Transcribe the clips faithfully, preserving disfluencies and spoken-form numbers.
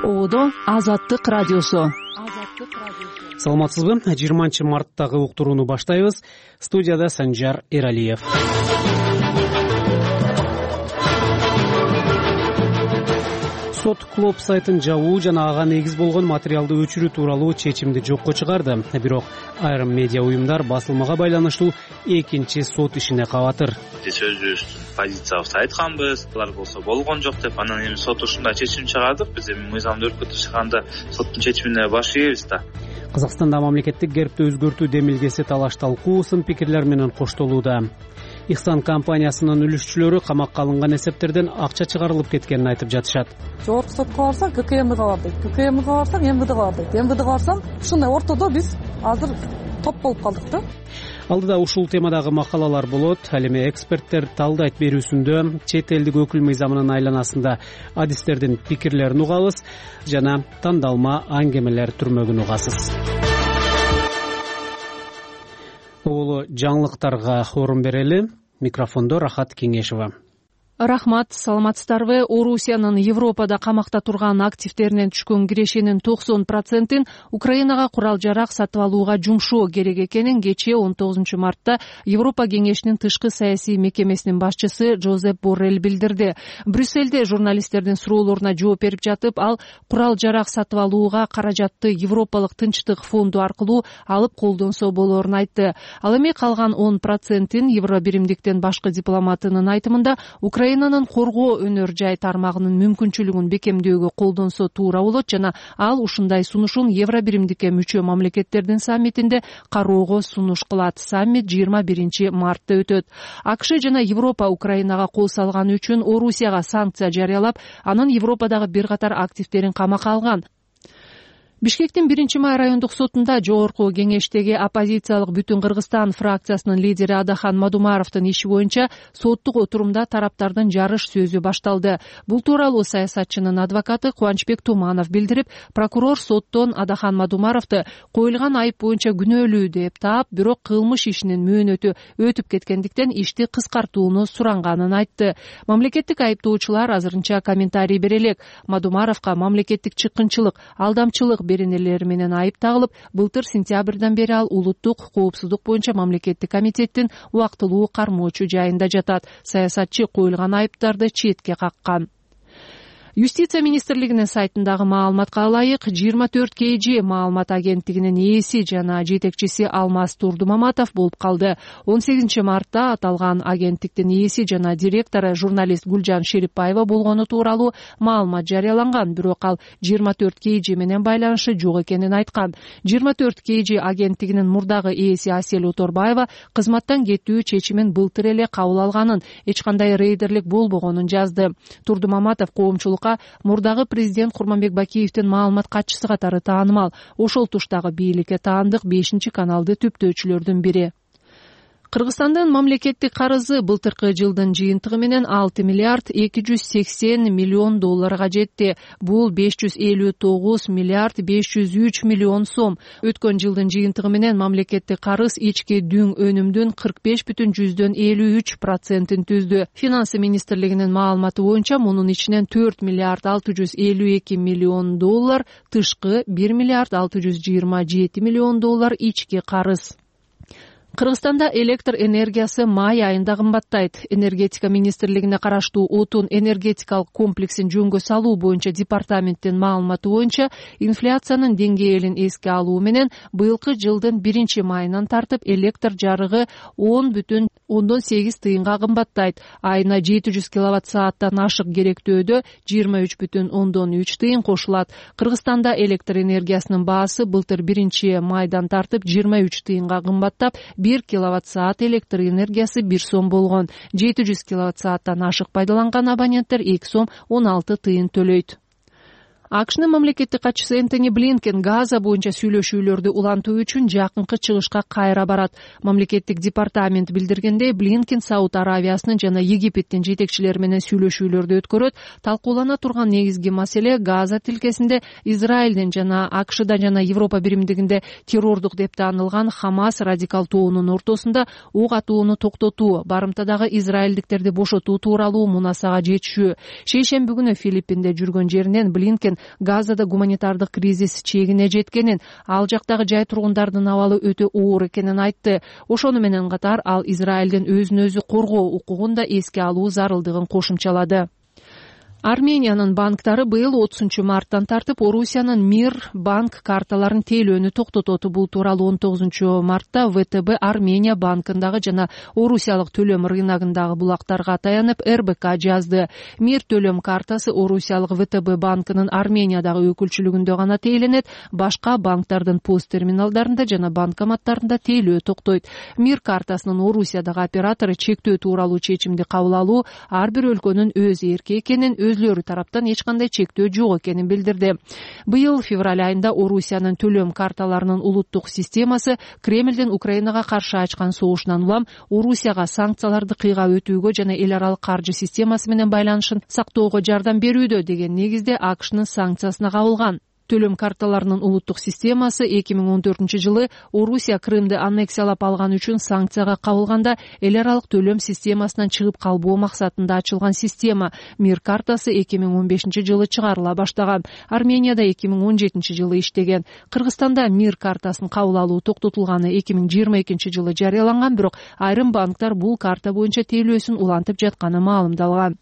Оодо Азаттык радиосу. Саламатсызбы? жыйырманчы марттагы уктурууну баштайбыз. Студияда Санжар Эралиев. Сот Клоп сайтын жабуу жана ага негиз болгон материалды өчүрүү тууралуу чечимди жокко чыгарды. Бирок айрым медиа уюмдар басылмага байланыштуу экинчи сот ишине кабатыр. Биз өзүбүздүн позициябызды айтканбыз, алар болсо болгон жок деп, анан эми сот ушундай чечим чыгардык. Биз эми мыйзамды өркөтүп чыкканда соттун чечимине баш ийебиз да. Казакстанда мамлекеттик гербти өзгөртүү демилгеси талаш талкуу, сын пикирлер менен коштолууда. Ихсан компаниясынын үлүшчүлөрү камакка алынган эсептерден акча чыгарылып кеткенин айтып жатышат. Жогорку сотко барсаң ККМга бар дейт, ККМга барсаң МВДга бар дейт, МВДга барсаң ушундай ортодо биз азыр топ болуп калдык да. Алдыда ушул темадагы макалалар болот. Ал эми эксперттер талдайт берүүсүндө чет элдик өкүл мыйзамынын айланасында адистердин пикирлерин угабыз жана тандалма аңгемелер түрмөгүн угасыз. Улуу жаңылыктарга орун берели. Микрофондо Рахат Кеңешова. Рахмат, саламатсыздарбы? Орусиянын Европада камакта турган активдеринен түшкөн кирешенин токсон процентин Украинага курал-жарак сатып алууга жумшоо керек экенин кечээ он тогузунчу мартта Европа кеңешинин тышкы саясий мекемесинин башчысы Жозеп Боррелл билдирди. Брюссельде журналисттердин суроолоруна жооп берип жатып, ал курал-жарак сатып алууга каражатты Европалык Тынчтык фонду аркылуу алып колдонсо болоорун айтты. Ал эми калган он процентин Евробиримдиктен башкы дипломатынын айтымында Украинанын коргоо өнөр жай тармагынын мүмкүнчүлүгүн бекемдөөгө колдонсо туура болот жана ал ушундай сунушун Евробиримдикке мүчө мамлекеттердин саммитинде кароого сунуш кылат. Саммит жыйырма биринчи мартта өтөт. АКШ жана Европа Украинага кол салганы үчүн Орусияга санкция жарыялап, анын Европадагы бир катар активдерин камакка алган. Бишкектин биринчи май райондук сотунда жогорку кеңештеги оппозициялык Бүтүн Кыргызстан фракциясынын лидери Адахан Мадумаровдун иши боюнча соттук отурумда тараптардын жарыш сөзү башталды. Бул тууралуу саясатчынын адвокаты Кубанычбек Туманов билдирип, прокурор соттон Адахан Мадумаровду коюлган айып боюнча күнөөлүү деп таап, бирок кылмыш ишинин мөөнөтү өтүп кеткендиктен ишти кыскартууну суранганын айтты. Мамлекеттик айыптоочулар азырынча комментарий бере элек. Мадумаровго мамлекеттик чыккынчылык, алдамчылык беренелери менен айып тагылып, былтыр сентябрдан бери ал улуттук коопсуздук боюнча мамлекеттик комитеттин убактылуу кармоочу жайында жатат. Саясатчы коюлган айыптарды четке каккан. Юстиция министрлигинин сайтындагы маалыматка ылайык, жыйырма төрт кей жи маалымат агенттигинин ээси жана жетекчиси Алмаз Турдумаматов болуп калды. он сегизинчи мартта аталган агенттиктин ээси жана директору журналист Гүлжан Шерипаева болгону тууралуу маалымат жарыяланган, бирок ал жыйырма төрт кей жи менен байланышы жок экенин айткан. жыйырма төрт кей жи агенттигинин мурдагы ээси Асель Оторбаева кызматтан кетүү чечимин былтыр эле кабыл алганын, эч кандай рейдерлик болбогонун жазды. Турдумаматов коомчулук мурдагы президент Курманбек Бакиевдин маалымат катчысы катары таанымал. Ошол туштагы бийликке таандык бешинчи каналды түптөөчүлөрдүн бири. Кыргызстандын мамлекеттик карызы былтыркы жылдын жыйынтыгы менен алты миллиард эки жүз сексен миллион долларга жетти. Бул беш жүз элүү тогуз миллиард беш жүз үч миллион сом. Өткөн жылдын жыйынтыгы менен мамлекеттик карыз ички дүң өнүмдүн кырк беш бүтүн жүздөн элүү үч процентин түздү. Финансы министрлигинин маалыматы боюнча мунун ичинен төрт миллиард алты жүз элүү эки миллион доллар тышкы, бир миллиард алты жүз жыйырма жети миллион доллар ички карыз. Кыргызстанда электр энергиясы май айында кымбаттайт. Энергетика министрлигине караштуу отун энергетикалык комплексин жөнгө салуу боюнча департаменттин маалыматы боюнча, инфляциянын деңгээлин эске алуу менен быйылкы жылдын биринчи майынан тартып электр жарыгы он бүтүн ондон сегиз тыйынга кымбаттайт. Айына жети жүз киловатт сааттан ашык керектөөдө жыйырма үч бүтүн ондон үч тыйын кошулат. Кыргызстанда электр энергиясынын баасы былтыр биринчи майдан тартып жыйырма үч тыйынга кымбаттап, бир киловатт саат электр энергиясы бир сом болгон. жети жүз киловатт сааттан ашык пайдаланган абоненттер эки сом он алты тыйын төлөйт. АКШнын мамлекеттик катчысы Энтони Блинкен Газа боюнча сүйлөшүүлөрдү улантуу үчүн жакынкы чыгышка кайра барат. Мамлекеттик департамент билдиргендей, Блинкен Сауд Аравиясынын жана Египеттин жетекчилери менен сүйлөшүүлөрдү өткөрөт. Талкуулана турган негизги маселе Газа тилкесинде Израилдин жана АКШда жана Европа биримдигинде террордук деп таанылган Хамас радикал тобунун ортосунда ок атууну токтотуу, барымтадагы израилдиктерди бошотуу тууралуу мунасага жетишүү. Шейшемби күнү Филиппинде жүргөн жеринен Блинкен Газада гуманитардык кризис чегине жеткенин, ал жактагы жай тургундардын абалы өтө оор экенин айтты. Ошону менен катар ал Израилдин өзүн өзү коргоо укугун да эске алуу зарылдыгын кошумчалады. Армениянын банктары быйыл отузунчу марттан тартып Орусиянын Мир банк карталарын тейлөөнү токтотот. Бул тууралуу он тогузунчу мартта вэ тэ бэ Армения банкындагы жана Орусиялык төлөм рыногундагы булактарга таянып эр бэ ка жазды. Мир төлөм картасы Орусиялык вэ тэ бэ банкынын Армениядагы өкүлчүлүгүндө гана тейленет, башка банктардын пост терминалдарында жана банкоматтарында тейлөө токтойт. Мир картасынын Орусиядагы оператору чектөө тууралуу чечимди кабыл алуу ар бир өлкөнүн өз эрки экенин, өзлөрү тараптан эч кандай чектөө жок экенин билдирди. Быйыл февраль айында Орусиянын төлөм карталарынын улуттук системасы Кремлдин Украинага каршы ачкан согушунан улам Орусияга санкцияларды кыйгап өтүүгө жана эл аралык каржы системасы менен байланышын сактоого жардам берүүдө деген негизде а ка шнын санкциясына кабылган. Төлөм карталарынын улуттук системасы эки миң он төртүнчү жылы Орусия Крымды аннексиялап алган үчүн санкцияга кабылганда эл аралык төлөм системасынан чыгып калбоо максатында ачылган система. Мир картасы эки миң он бешинчи жылы чыгарыла баштаган. Арменияда эки миң он жетинчи жылы иштеген. Кыргызстанда Мир картасын кабыл алуу токтотулганы эки миң жыйырма экинчи жылы жарыяланган, бирок айрым банктар бул карта боюнча тейлөөсүн улантып жатканы маалымдалган.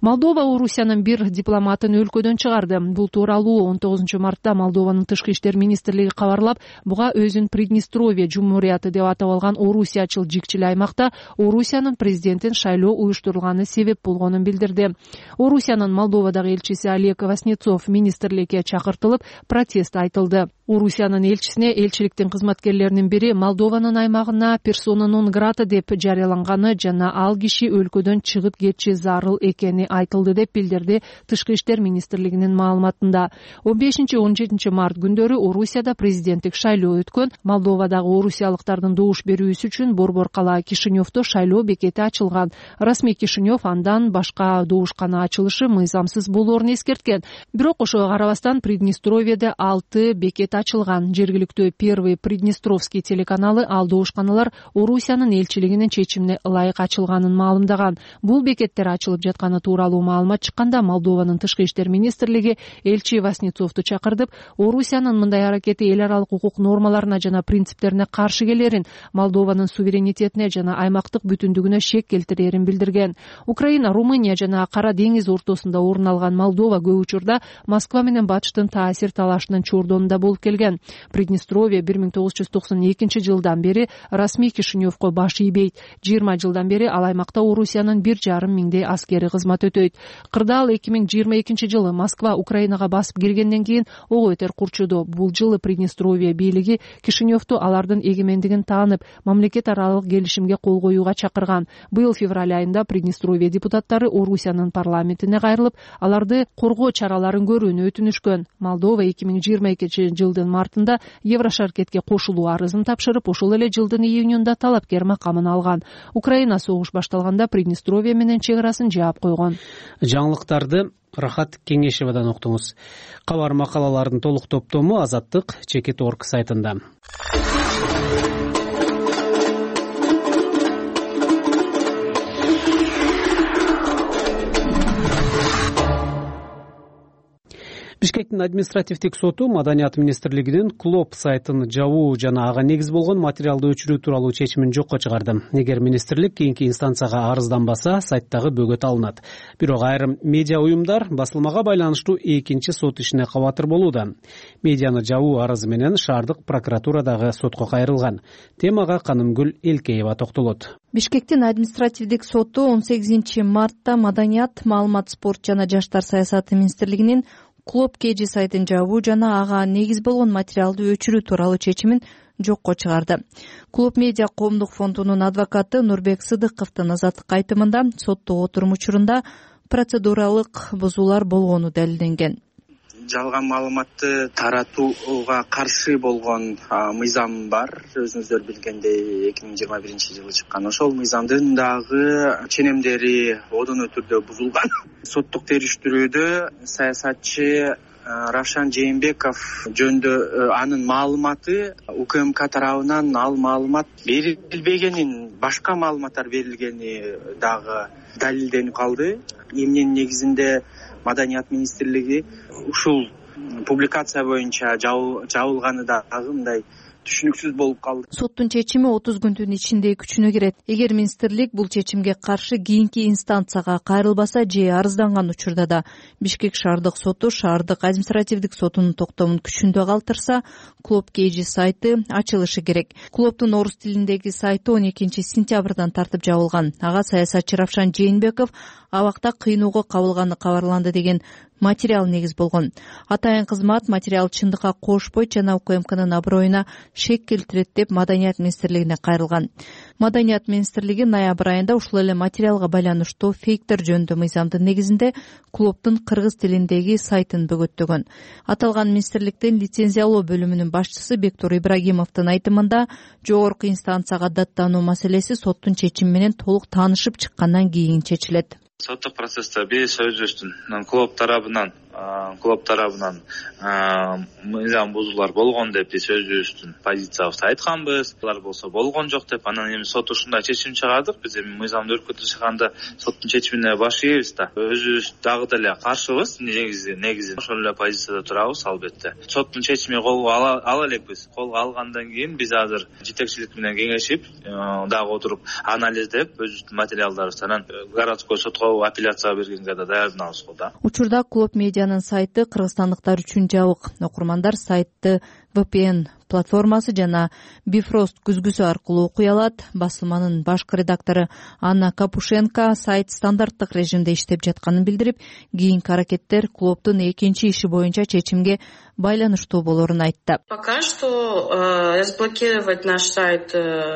Молдова Орусиянын бир дипломатын өлкөдөн чыгарды. Бул тууралуу он тогузунчу мартта Молдованын тышкы иштер министрлиги кабарлап, буга өзүн Приднестровье жумурияты деп атап алган Орусиячыл жикчил аймакта Орусиянын президентин шайлоо уюштурулганы себеп болгонун билдирди. Орусиянын Молдовадагы элчиси Олег Васнецов министрликке чакыртылып, протест айтылды. Орусиянын элчисине элчиликтин кызматкерлеринин бири Молдованын аймагына персона нон грата деп жарыяланганы жана ал киши өлкөдөн чыгып кетиши зарыл экени айтылды деп билдирди Тышкы иштер министрлигинин маалыматында. он бешинчи он жетинчи март күндөрү Орусияда президенттик шайлоо өткөн. Молдовадагы орусиялыктардын добуш берүүсү үчүн Борбор кала Кишиневдо шайлоо бекети ачылган. Расмий Кишинев андан башка добушкана ачылышы мыйзамсыз болоорун эскерткен. Бирок ошого карабастан Приднестровьеде алты бекет ачылган. Жергиликтүү Первый Приднестровский телеканалы ал добушканалар Орусиянын элчилигинин чечимине ылайык ачылганын маалымдаган. Бул бекеттер ачылып жатканы тууралуу маалымат чыкканда Молдованын тышкы иштер министрлиги элчи Васнецовду чакыртып, Орусиянын мындай аракети эл аралык укук нормаларына жана принциптерине каршы келерин, Молдованын суверенитетине жана аймактык бүтүндүгүнө шек келтирерин билдирген. Украина, Румыния жана Кара деңиз ортосунда орун алган Молдова көп учурда Москва менен Батыштын таасир талашынын чордонунда болуп келген. Приднестровье бир миң тогуз жүз токсон экинчи жылдан бери расмий Кишиневко баш ийбейт. жыйырма жылдан бери ал аймакта Орусиянын бир жарым миңдей аскери кызмат өтөйт. Кырдаал эки миң жыйырма экинчи жылы Москва Украинага басып киргенден кийин ого бетер курчуду. Бул жылы Приднестровье бийлиги Кишиневду алардын эгемендигин таанып, мамлекет аралык келишимге кол коюуга чакырган. Быйыл февраль айында Приднестровье депутаттары Орусиянын парламентине кайрылып, аларды коргоо чараларын көрүүнү өтүнүшкөн. Молдова эки миң жыйырма экинчи жылдын мартында Еврошаркетке кошулуу арызын тапшырып, ошол эле жылдын июнунда талапкер макамын алган. Украина согуш башталганда Приднестровье менен чек арасын жаап койгон. Жаңылыктарды Рахат Кеңешевадан уктуңуз. Кабар макалалардын толук топтому Азаттык Чекит точка орг сайтында. Бишкектин административдик соту Маданият министрлигинин Клоп сайтын жабуу жана ага негиз болгон материалды өчүрүү тууралуу чечимин жокко чыгарды. Эгер министрлик кийинки инстанцияга арызданбаса, сайттагы бөгөт алынат. Бирок айрым медиа уюмдар басылмага байланыштуу экинчи сот ишине кабатыр болууда. Медианы жабуу арызы менен шаардык прокуратурадагы сотко кайрылган. Темага Канымгүл Элкеева токтолот. Бишкектин административдик соту он сегизинчи мартта Маданият, маалымат, спорт жана жаштар саясаты министрлигинин Клоп кж сайтын жабуу жана ага негиз болгон материалды өчүрүү тууралуу чечимин жокко чыгарды. Клоп медиа коомдук фондунун адвокаты Нурбек Сыдыковдун азаттык айтымында соттук отурум учурунда процедуралык бузуулар болгону далилденген. Жалган маалыматты таратууга каршы болгон мыйзам бар. Өзүңүздөр билгендей эки миң жыйырма биринчи жылы чыккан. Ошол мыйзамдын дагы ченемдери одоно түрдө бузулган. Соттук териштирүүдө саясатчы Равшан Жээнбеков жөнүндө анын маалыматы УКМК тарабынан ал маалымат берилбегенин, башка маалыматтар берилгени дагы далилденип калды. Эмненин негизинде Маданият министрлиги ушул публикация боюнча жабылганы дагы мындай түшүнүксүз болуп калды. Соттун чечими отуз күндүн ичинде күчүнө кирет. Эгер министрлик бул чечимге каршы кийинки инстанцияга кайрылбаса же арызданган учурда да Бишкек шаардык соту шаардык административдик сотунун токтомун күчүндө калтырса, Клуб Кеji сайты ачылышы керек. Клубдун орус тилиндеги сайты он экинчи сентябрдан тартып жабылган. Ага саясатчы Равшан Жээнбеков абакта кыйноого кабылганы кабарланды деген материал негиз болгон. Атайын кызмат материал чындыкка кошпойт жана УКМКнын аброюна шек келтирет деп Маданият министрлигине кайрылган. Маданият министрлиги ноябрь айында ушул эле материалга байланыштуу фейктер жөнүндө мыйзамдын негизинде клубдун кыргыз тилиндеги сайтын бөгөттөгөн. Аталган министрликтин лицензиялоо бөлүмүнүн башчысы Бектур Ибрагимовдун айтымында жогорку инстанцияга даттануу маселеси соттун чечими менен толук таанышып чыккандан кийин чечилет. Соттук процессте биз өзүбүздүн клуб тарабынан клуб тарабынан мыйзам бузуулар болгон деп биз өзүбүздүн позициябызды айтканбыз. Алар болсо болгон жок деп, анан эми сот ушундай чечим чыгардык. Биз эми мыйзамды өркөтүп чыкканда соттун чечимине баш ийбиз да. Өзүбүз дагы деле каршыбыз, негизи негизи ошол эле позицияда турабыз албетте. Соттун чечими колго ала элекпиз. Колго алгандан кийин биз азыр жетекчилик менен кеңешип, дагы отуруп анализдеп, өзүбүздүн материалдарыбызды анан городской сотко апелляция бергенге да даярданабыз го да. Учурда Клуб Медианын сайты кыргызстандыктар үчүн жабык. Окурмандар сайтты ви пи эн платформасы жана Bifrost күзгүсү аркылуу окуй алат. Басылманын башкы редактору Анна Капушенко сайт стандарттык режимде иштеп жатканын билдирип, кийинки аракеттер клубдун экинчи иши боюнча чечимге байланыштуу болорун айтты. Пока что разблокировать наш сайт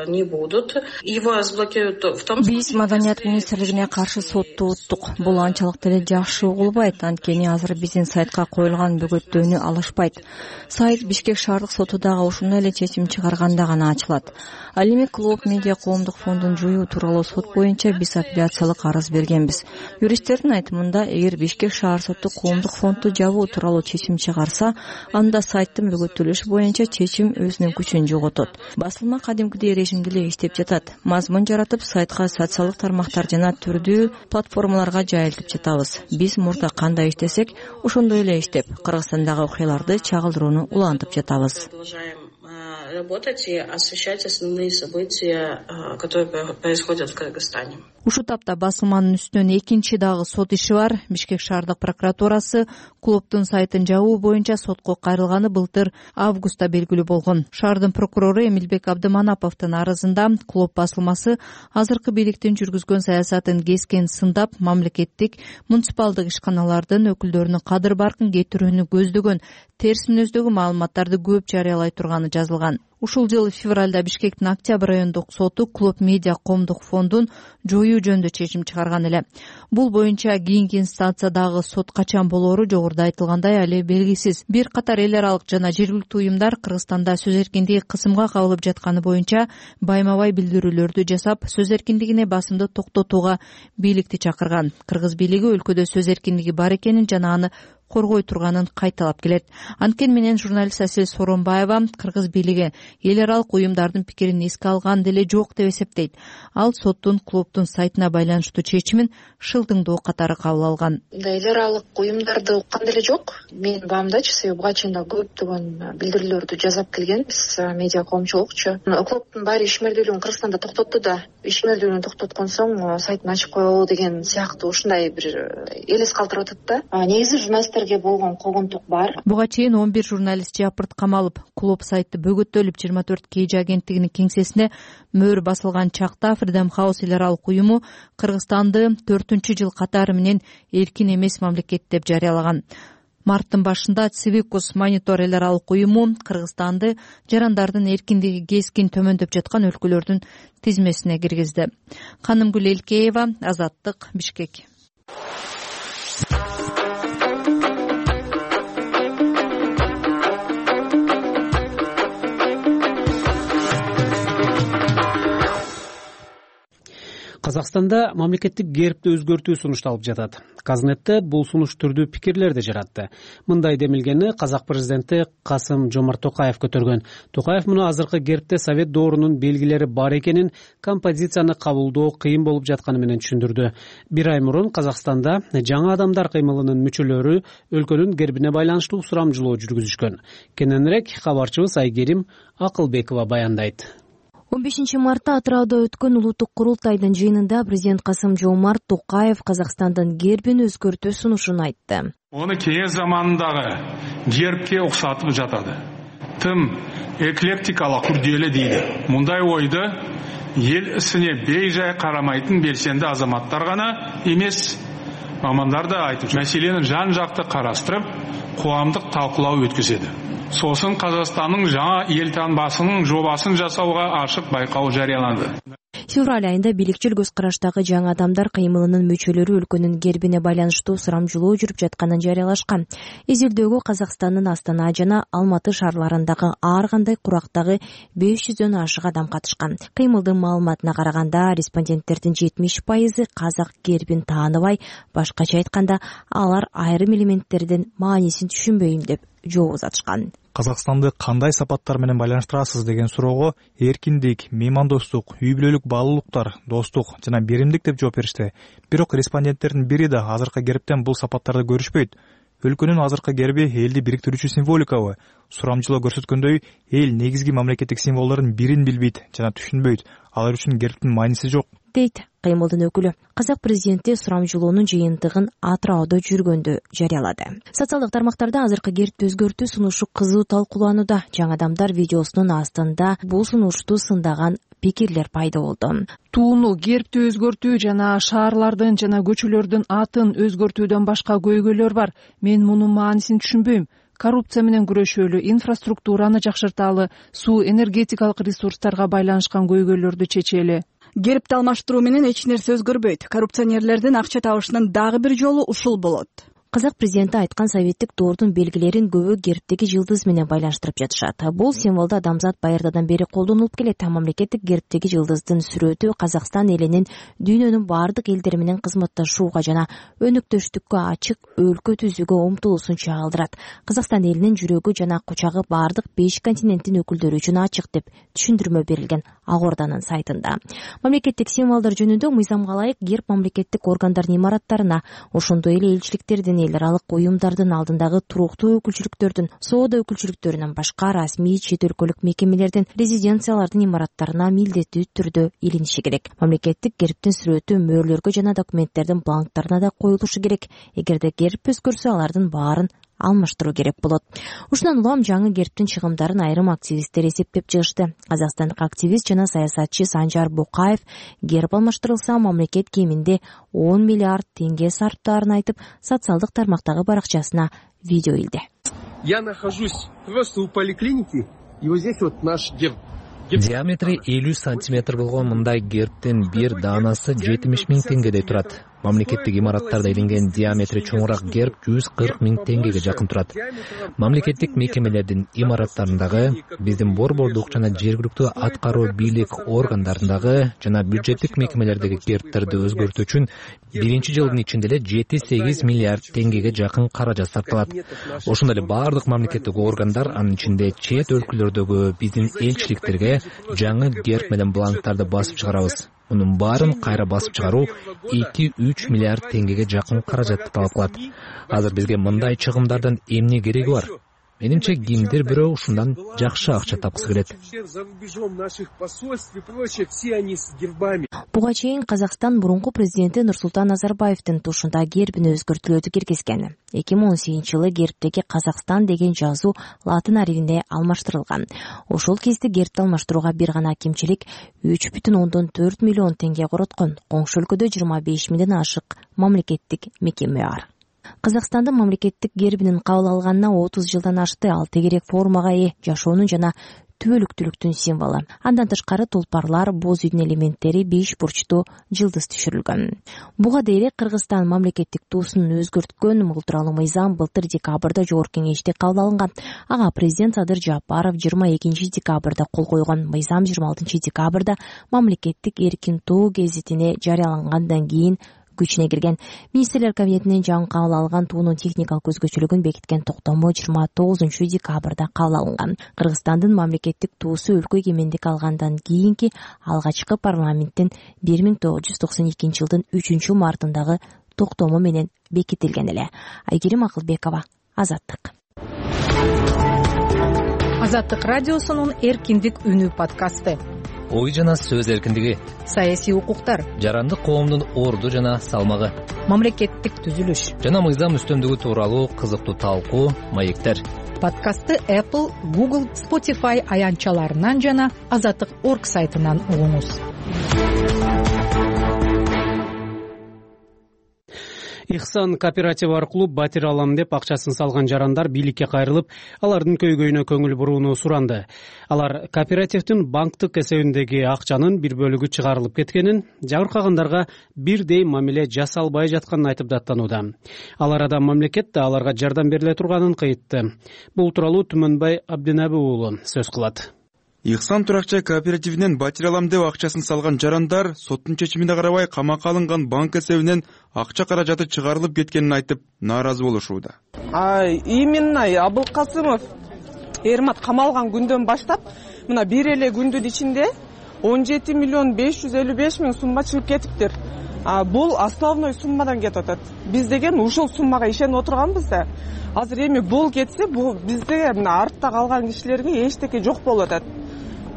не будут. Его разблокируют в том случае. Биз Маданият министрлигине каршы сотту уттук. Бул анчалык деле жакшы угулбайт. Анткени азыр биздин сайтка коюлган бөгөттөөнү алышпайт. Сайт Бишкек шаардык сотудагы ушундай эле чечим чыгарганда гана ачылат. Ал эми Клуб Медиа коомдук фондун жоюу тууралуу сот боюнча биз апелляциялык арыз бергенбиз. Юристтердин айтымында, эгер Бишкек шаар соту коомдук фондду жабуу тууралуу чечим чыгарса, анда сайттын бөгөттөлүшү боюнча чечим өзүнүн күчүн жоготот. Басылма кадимкидей режимде эле иштеп жатат. Мазмун жаратып, сайтка социалдык тармактар жана түрдүү платформаларга жайылтып жатабыз. Биз мурда кандай иштесек, ошондой эле иштеп, Кыргызстандагы окуяларды чагылдырууну улантып жатабыз. Работать и освещать основные события, которые происходят в Кыргызстане. Ушул тапта басылманын үстүнөн экинчи дагы сот иши бар. Бишкек шаардык прокуратурасы клубдун сайтын жабуу боюнча сотко кайрылганы былтыр августта белгилүү болгон. Шаардын прокурору Эмилбек Абдыманаповдун арызында клуб басылмасы азыркы бийликтин жүргүзгөн саясатын кескен сындап, мамлекеттик муниципалдык ишканалардын өкүлдөрүнүн кадыр баркын кетирүүнү көздөгөн терс мүнөздөгү маалыматтарды көп жарыялай турганы жазылган. Ушул жылы февралда Бишкектин Октябрь райондук соту Клуб Медиа коомдук фондун жоюу жөнүндө чечим чыгарган эле. Бул боюнча кийинки инстанциядагы сот качан болоору жогоруда айтылгандай али белгисиз. Бир катар эл аралык жана жергиликтүү уюмдар Кыргызстанда сөз эркиндиги кысымга кабылып жатканы боюнча байма-бай билдирүүлөрдү жасап, сөз эркиндигине басымды токтотууга бийликти чакырган. Кыргыз бийлиги өлкөдө сөз эркиндиги бар экенин жана аны коргой турганын кайталап келет. Анткени менен журналист Асел Соронбаева Кыргыз бийлиги эл аралык уюмдардын пикирин эске алган деле жок деп эсептейт. Ал соттун клубдун сайтына байланыштуу чечимин шылдыңдоо катары кабыл алган. Эл аралык уюмдарды уккан деле жок. Мен баамдачы себеби буга чейин да көптөгөн билдирүүлөрдү жасап келгенбиз медиа коомчулукчу. Клубдун баары ишмердүүлүгүн Кыргызстанда токтотту да, ишмердүүлүгүн токтоткон соң сайтын ачып коелу деген сыяктуу ушундай бир элес калтырып атат да. Негизи журналисттерге болгон когонтук бар. Буга чейин он бир журналист жапырт камалып, клуб сайты бөгөттөлүп жыйырма төрт Кеji агенттигинин кеңсесине мөр басылган чакта Freedom House эл аралык уюму Кыргызстанды төртүнчү жыл катары менен эркин эмес мамлекет деп жарыялаган. Марттын башында Civicus Monitor эл аралык уюму Кыргызстанды жарандардын эркиндиги кескин төмөндөп жаткан өлкөлөрдүн тизмесине киргизди. Канымгүл Элкеева, Азаттык, Бишкек. Казакстанда мамлекеттик гербти өзгөртүү сунушталып жатат. Казнетте бул сунуш түрдүү пикирлерди жаратты. Мындай демилгени казак президенти Касым-Жомарт Токаев көтөргөн. Токаев муну азыркы гербте совет доорунун белгилери бар экенин, композицияны кабылдоо кыйын болуп жатканы менен түшүндүрдү. Бир ай мурун Казакстанда жаңы адамдар кыймылынын мүчөлөрү өлкөнүн гербине байланыштуу сурамжылоо жүргүзүшкөн. Кененирээк кабарчыбыз Айгерим Акылбекова баяндайт. он бешинчи мартта Атырауда өткөн улуттук курултайдын жыйынында президент Касым-Жомарт Токаев Казакстандын гербин өзгөртүү сунушун айтты. Оны кеңес заманындагы гербке окшотуп жатады. Тым эклектикалык күрделүү дейди. Мындай ойду эл исине бейжай карамайтын белсенди азаматтар гана эмес, мамандар да айтып, маселени жан жакты караштырып, коомдук талкуулоо өткөзөдү. Сосын Казакстандын жаңа эл таңбасынын жобасын жасауга ашык байкоо жарыяланды. Февраль айында бийликчил көз караштагы жаңы адамдар кыймылынын мүчөлөрү өлкөнүн гербине байланыштуу сурамжылоо жүрүп жатканын жарыялашкан. Изилдөөгө Казакстандын Астана жана Алматы шаарларындагы ар кандай курактагы беш жүздөн ашык адам катышкан. Кыймылдын маалыматына караганда, респонденттердин жетимиш пайызы казак гербин тааныбай, башкача айтканда, алар айрым элементтердин маанисин түшүнбөйм деп жооп узатышкан. Казакстанды кандай сапаттар менен байланыштырасыз деген суроого эркиндик, меймандостук, үй бүлөлүк баалуулуктар, достук жана беримдик деп жооп беришти. Бирок респонденттердин бири да азыркы гербтен бул сапаттарды көрүшпөйт. Өлкөнүн азыркы герби элди бириктирүүчү символикабы? Сурамжылоо көрсөткөндөй, эл негизги мамлекеттик символдордун бирин билбейт жана түшүнбөйт. Алар үчүн гербтин мааниси жок, дейт кыймылдын өкүлү. Казак президенти сурамжылоонун жыйынтыгын Атырауда жүргөндө жарыялады. Социалдык тармактарда азыркы гербти өзгөртүү сунушу кызуу талкууланууда. Жаңы адамдар видеосунун астында бул сунушту сындаган пикирлер пайда болду. Тууну гербти өзгөртүү жана шаарлардын жана көчөлөрдүн атын өзгөртүүдөн башка көйгөйлөр бар. Мен мунун маанисин түшүнбөйм. Коррупция менен күрөшөлү, инфраструктураны жакшырталы, суу энергетикалык ресурстарга байланышкан көйгөйлөрдү чечели. Гербти алмаштыруу менен эч нерсе өзгөрбөйт. Коррупционерлердин акча табышынын дагы бир жолу ушул болот. Казак президенти айткан советтик доордун белгилерин көбү гербтеги жылдыз менен байланыштырып жатышат. Бул символду адамзат байырдадан бери колдонуп келет. Мамлекеттик гербтеги жылдыздын сүрөтү Казакстан элинин дүйнөнүн бардык элдери менен кызматташууга жана өнөктөштүккө ачык өлкө түзүүгө умтулуусун чагылдырат. Казакстан элинин жүрөгү жана кучагы бардык беш континенттин өкүлдөрү үчүн ачык деп түшүндүрмө берилген Ак Орданын сайтында. Мамлекеттик символдор жөнүндө мыйзамга ылайык герб мамлекеттик органдардын имараттарына, ошондой эле элчиликтердин, эл аралык уюмдардын алдындагы туруктуу өкүлчүлүктөрдүн, соода өкүлчүлүктөрүнөн башка расмий чет өлкөлүк мекемелердин, резиденциялардын имараттарына милдеттүү түрдө илиниши керек. Мамлекеттик гербтин сүрөтү мөөрлөргө жана документтердин бланктарына да коюлушу керек. Эгерде герб өзгөрсө, алардын баарын алмаштыруу керек болот. Ушундан улам жаңы гербтин чыгымдарын айрым активисттер эсептеп чыгышты. Казакстандык активист жана саясатчы Санжар Букаев герб алмаштырылса, мамлекет кеминде он миллиард теңге сарптаарын айтып, социалдык тармактагы баракчасына видео илди. Я нахожусь просто у поликлиники, и вот здесь вот наш герб. Диаметри элүү сантиметр болгон мындай гербтин бир даанасы жетимиш миң теңгедей турат. Мамлекеттик имараттарда илинген диаметри чоңураак герб жүз кырк миң теңгеге жакын турат. Мамлекеттик мекемелердин имараттарындагы, биздин борбордук жана жергиликтүү аткаруу бийлик органдарындагы жана бюджеттик мекемелердеги гербтерди өзгөртүү үчүн биринчи жылдын ичинде эле жети сегиз миллиард теңгеге жакын каражат сарпталат. Ошондой эле бардык мамлекеттик органдар, анын ичинде чет өлкөлөрдөгү биздин элчиликтерге жаңы герб менен бланктарды басып чыгарабыз. Мунун баарын кайра басып чыгаруу эки үч миллиард теңгеге жакын каражатты талап кылат. Азыр бизге мындай чыгымдардын эмне кереги бар? Менимче кимдир бирөө ушундан жакшы акча тапкысы келет. Буга чейин Казакстан мурунку президенти Нурсултан Назарбаевдин тушунда гербине өзгөртүүлөрдү киргизген. эки миң он сегизинчи жылы гербтеги Казакстан деген жазуу латын арифине алмаштырылган. Ошол кезде гербти алмаштырууга бир гана кемчилик үч бүтүн ондон төрт миллион теңге короткон. Коңшу өлкөдө жыйырма беш миңден ашык мамлекеттик мекеме бар. Казакстандын мамлекеттик гербинин кабыл алганына отуз жылдан ашты. Ал тегерек формага ээ, жашоонун жана түбөлүктүүлүктүн символу. Андан тышкары тулпарлар, боз үйдүн элементтери, беш бурчтуу жылдыз түшүрүлгөн. Буга дейре Кыргызстан мамлекеттик туусун өзгөрткөн мыл тууралуу мыйзам былтыр декабрда Жогорку Кеңеште кабыл алынган. Ага президент Садыр Жапаров жыйырма экинчи декабрда кол койгон. Мыйзам жыйырма алтынчы декабрда мамлекеттик эркин тоо гезитине жарыялангандан кийин күчүнө кирген. Министрлер кабинетинен жаңы кабыл алган туунун техникалык өзгөчөлүгүн бекиткен токтому жыйырма тогузунчу декабрда кабыл алынган. Кыргызстандын мамлекеттик туусу өлкө эгемендик алгандан кийинки алгачкы парламенттин бир миң тогуз жүз токсон экинчи жылдын үчүнчү мартындагы токтому менен бекитилген эле. Айгерим Акылбекова, Азаттык. Азаттык радиосунун эркиндик үнү подкасты. Ой жана сөз эркиндиги, саясий укуктар, жарандык коомдун орду жана салмагы, мамлекеттик түзүлүш жана мыйзам үстөмдүгү тууралуу кызыктуу талкуу, маектер. Подкастты Apple, Google, Spotify аянтчаларынан жана азаттык точка орг сайтынан угуңуз. Ихсан кооператив аркылуу батир алам деп акчасын салган жарандар бийликке кайрылып, алардын көйгөйүнө көңүл бурууну суранды. Алар кооперативдин банктык эсебиндеги акчанын бир бөлүгү чыгарылып кеткенин, жабыркагандарга бирдей мамиле жасалбай жатканын айтып даттанууда. Ал арада мамлекет да аларга жардам бериле турганын кыйтты. Бул тууралуу Түмөнбай Абдинабы уулу сөз кылат. Ихсан туракчай кооперативинен батир алам деп акчасын салган жарандар соттун чечимине карабай камакка алынган банк эсебинен акча каражаты чыгарылып кеткенин айтып нааразы болушууда. Именно Абылкасымов Эрмат камалган күндөн баштап мына бир эле күндүн ичинде он жети миллион беш жүз элүү беш миң сумма чыгып кетиптир. Бул основной суммадан кетип атат. Биз деген ушул суммага ишенип отурганбыз да. Азыр эми бул кетсе, бул бизде мына артта калган кишилерге эчтеке жок болуп атат.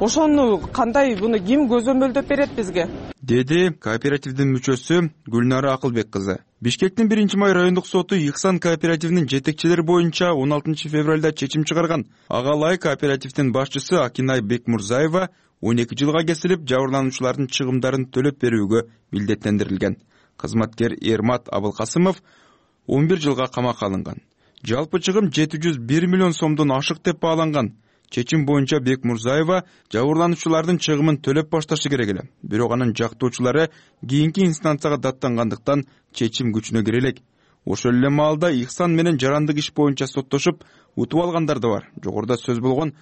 Ошону кандай, буну ким көзөмөлдөп берет бизге? Деди кооперативдин мүчөсү Гүлнара Акылбек кызы. Бишкектин биринчи май райондук соту Ихсан кооперативинин жетекчилери боюнча он алтынчы февралда чечим чыгарган. Ага ылайык кооперативдин башчысы Акинай Бекмурзаева он эки жылга кесилип, жабырлануучулардын чыгымдарын төлөп берүүгө милдеттендирилген. Кызматкер Эрмат Абылкасымов он бир жылга камакка алынган. Жалпы чыгым жети жүз бир миллион сомдон ашык деп бааланган. Чечим боюнча Бекмурзаева жабырлануучулардын чыгымын төлөп башташы керек эле. Бирок анын жактоочулары кийинки инстанцияга даттангандыктан чечим күчүнө кире элек. Ошол эле маалда Ихсан менен жарандык иш боюнча соттошуп утуп алгандар да бар. Жогоруда сөз болгон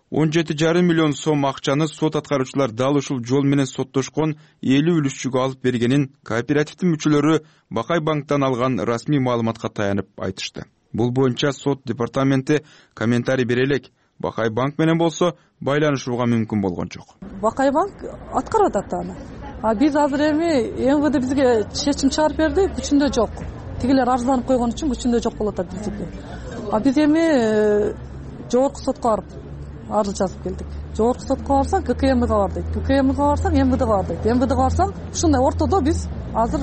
он жети жарым миллион сом акчаны сот аткаруучулар дал ушул жол менен соттошкон элүү үлүшчүгө алып бергенин кооперативдин мүчөлөрү Бакай банктан алган расмий маалыматка таянып айтышты. Бул боюнча сот департаменти комментарий бере элек. Бакай банк менен болсо байланышууга мүмкүн болгон жок. Бакай банк аткарат аны. А биз азыр эми эм вэ дэ бизге чечим чыгарып берди, күчүндө жок. Тигилер арызданып койгон үчүн күчүндө жок болуп атат биздики. А биз эми жогорку сотко барып арыз жазып келдик. Жогорку сотко барсак гэ ка эм га бардык. гэ ка эм га барсак эм вэ дэ га бардык. эм вэ дэ га барсам ушундай ортодо биз азыр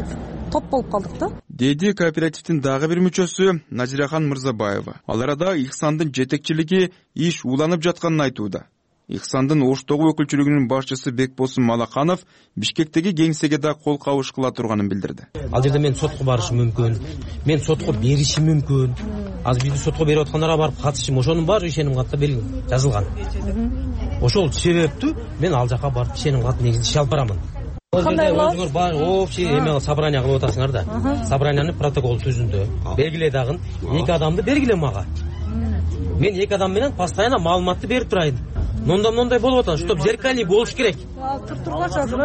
топ болуп калдык да. Деди кооперативдин дагы бир мүчөсү Назирахан Мырзабаева. Ал арада Ихсандын жетекчилиги иш уланып жатканын айтууда. Ихсандын Оштогу өкүлчүлүгүнүн башчысы Бекбосун Малаканов Бишкектеги кеңсеге да кол кабыш кыла турганын билдирди. Ал жерде мен сотко барышым мүмкүн, мен сотко беришим мүмкүн. Азыр биз сотко берип аткандарга барып катышым, ошонун баары ишеним катта жазылган. Ошол себептүү мен ал жака барып ишеним кат негизи иш алып барамын. Кандай өзүңөр бар общий эме собрание кылып атасыңар да. Собраниянын протокол түзүндө белгиле дагы эки адамды бергиле мага. Мен эки адам менен постоянно маалыматты берип турайын. Мындай мындай болуп атат, чтоб зеркальный болуш керек. Туртурган азыр.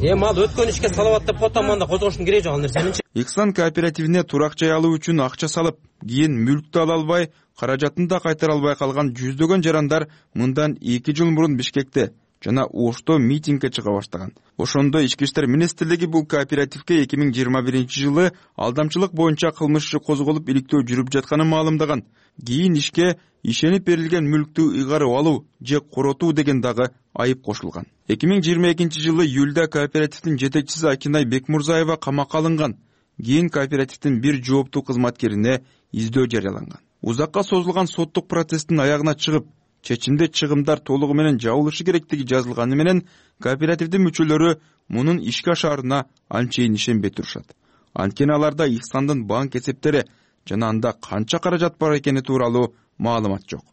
Эми ал өткөн ишке салават деп котоманда козгоштун кереги жок ал нерсени. Ихсан кооперативине турак-жай алуу үчүн акча салып, кийин мүлктү ала албай, каражатын да кайтара албай калган жүздөгөн жарандар мындан эки жыл мурун Бишкекте жана Ошто митингге чыга баштаган. Ошондо Ички иштер министрлиги бул кооперативге эки миң жыйырма биринчи жылы алдамчылык боюнча кылмыш иши козголуп иликтөө жүрүп жатканын маалымдаган. Кийин ишке ишенип берилген мүлктү ыйгарып алуу же коротуу деген дагы айып кошулган. эки миң жыйырма экинчи жылы июлда кооперативдин жетекчиси Акинай Бекмурзаева камакка алынган. Кийин кооперативдин бир жооптуу кызматкерине издөө жарыяланган. Узакка созулган соттук процесстин аягына чыгып, чечимде чыгымдар толугу менен жабылышы керектиги жазылганы менен кооперативдин мүчөлөрү мунун ишке ашарына анчейин ишенбей турушат. Анткени аларда Ихсандын банк эсептери жана анда канча каражат бар экени тууралуу маалымат жок.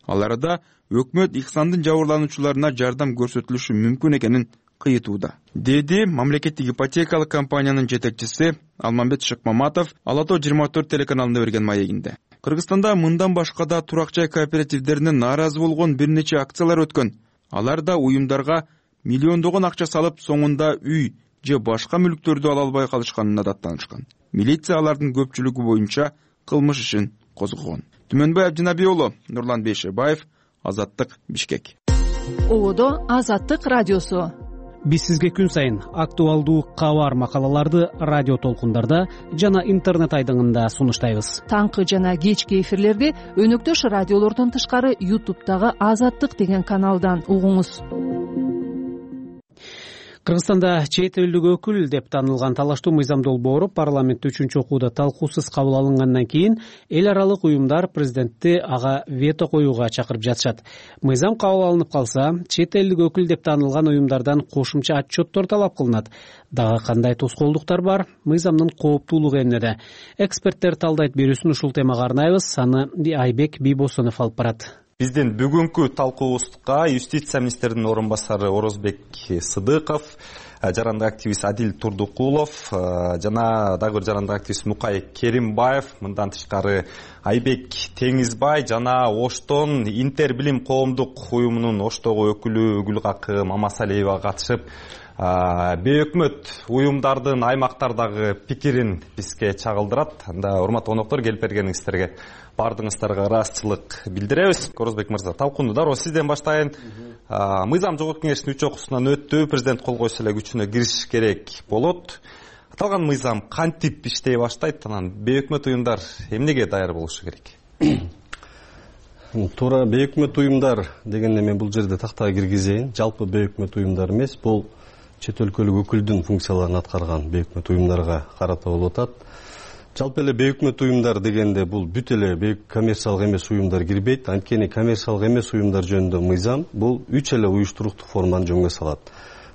Аларда өкмөт Ихсандын жабырлануучуларына жардам көрсөтүлүшү мүмкүн экенин кыйтууда, деди мамлекеттик ипотекалык компаниянын жетекчиси Алмамбет Шыкмаматов Ала тоо жыйырма төрт телеканалына берген маегинде. Кыргызстанда мындан башка да турак жай кооперативдеринен нааразы болгон бир нече акциялар өткөн. Аларда уюмдарга миллиондогон акча салып, соңунда үй же башка мүлктөрдү ала албай калышканына даттанышкан. Милиция алардын көпчүлүгү боюнча кылмыш ишин козгогон. Түмөнбай Абдинаби уулу, Нурлан Бейшебаев, Азаттык, Бишкек. Ободо Азаттык радиосу. Биз сизге күн сайын актуалдуу кабар макалаларды радио толкундарда жана интернет айдыңында сунуштайбыз. Таңкы жана кечки эфирлерди өнөктөш радиолордон тышкары ютубтагы Азаттык деген каналдан угуңуз. Кыргызстанда чет элдик өкүл деп таанылган Талаштуу Мыйзам долбоору парламентте үчүнчү окууда талкуусуз кабыл алынгандан кийин эл аралык уюмдар президентти ага вето коюуга чакырып жатышат. Мыйзам кабыл алынып калса, чет элдик өкүл деп таанылган уюмдардан кошумча отчеттор талап кылынат. Дагы кандай тоскоолдуктар бар? Мыйзамдын кооптуулугу эмнеде? Эксперттер талдайт берүүсүн ушул темага арнайбыз. Аны Айбек Бийбосонов алып барат. Биздин бүгүнкү талкуубузга юстиция министринин орун басары Орозбек Сыдыков, жарандык активист Адил Турдукулов жана дагы бир жарандык активист Мукай Керимбаев, мындан тышкары Айбек Теңизбай жана Оштон Интер билим коомдук уюмунун Оштогу өкүлү Гүлгакы Мамасалиева катышып, бейөкмөт уюмдардын аймактардагы пикирин бизге чагылдырат. Анда урматтуу коноктор, келип бергениңиздерге бардыгыңыздарга ыраазычылык билдиребиз. Орозбек мырза, талкууну дароо сизден баштайын. Мыйзам жогорку кеңештин үч окуусунан өттү, президент кол койсо эле күчүнө кириш керек болот. Аталган мыйзам кантип иштей баштайт, анан бейөкмөт уюмдар эмнеге даяр болушу керек? Туура бейөкмөт уюмдар дегенде мен бул жерде тактага киргизейин. Жалпы бейөкмөт уюмдар эмес, бул чет өлкөлүк өкүлдүн функцияларын аткарган бейөкмөт уюмдарга карата болуп атат. Жалпы эле бейөкмөт уюмдар дегенде бул бүт эле коммерциялык эмес уюмдар кирбейт. Анткени коммерциялык эмес уюмдар жөнүндө мыйзам бул үч эле уюштуруктук форманы жөнгө салат.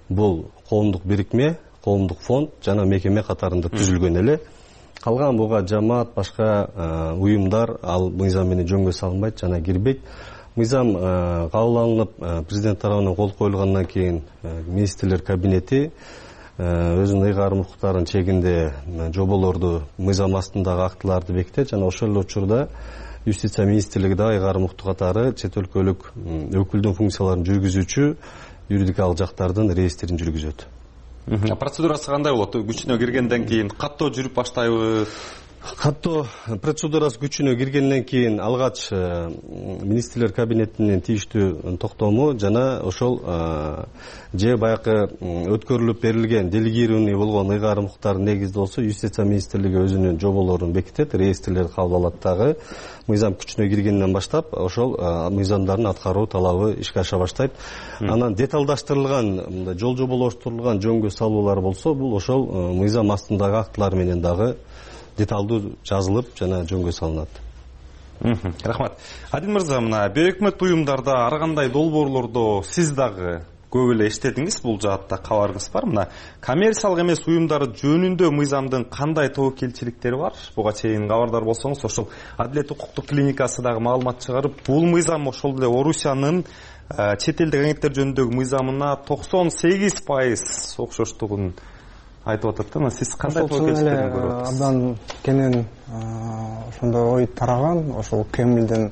Бул коомдук бирикме, коомдук фонд жана мекеме катарында түзүлгөн эле. Калган буга жамаат, башка уюмдар ал мыйзам менен жөнгө салынбайт жана кирбейт. Мыйзам кабыл алынып, президент тарабынан кол коюлгандан кийин министрлер кабинети өзүнүн ыйгарым укуктарынын чегинде жоболорду, мыйзам астындагы актыларды бекитет жана ошол эле учурда юстиция министрлиги да ыйгарым укукту катары чет өлкөлүк өкүлдүн функцияларын жүргүзүүчү юридикалык жактардын реестрин жүргүзөт. Процедурасы кандай болот? Күчүнө киргенден кийин каттоо жүрүп баштайбы? Каттоо процедурасы күчүнө киргенден кийин алгач министрлер кабинетинин тийиштүү токтому жана ошол же баягы өткөрүлүп берилген делегированный болгон ыйгарым укуктардын негизинде болсо юстиция министрлиги өзүнүн жоболорун бекитет, реестрлерди кабыл алат дагы. Мыйзам күчүнө киргенден баштап ошол мыйзамдардын аткаруу талабы ишке аша баштайт. Анан деталдаштырылган, жол жоболоштурулган жөнгө салуулар болсо, бул ошол мыйзам астындагы актылар менен дагы деталдуу жазылып жана жөнгө салынат. Рахмат. Адил мырза, мына бейөкмөт уюмдарда ар кандай долбоорлордо сиз дагы көп эле иштедиңиз, бул жаатта кабарыңыз бар. Мына коммерциялык эмес уюмдар жөнүндө мыйзамдын кандай тобокелчиликтери бар? Буга чейин кабардар болсоңуз, ошол Адилет укуктук клиникасы дагы маалымат чыгарып, бул мыйзам ошол эле Орусиянын чет элдик агенттер жөнүндөгү мыйзамына токсон сегиз пайыз окшоштугун айтып атат да. Сиз кандай тобокелчиликтерин көрүп атасыз? Абдан кенен ошондой ой тараган, ошол Кремлдин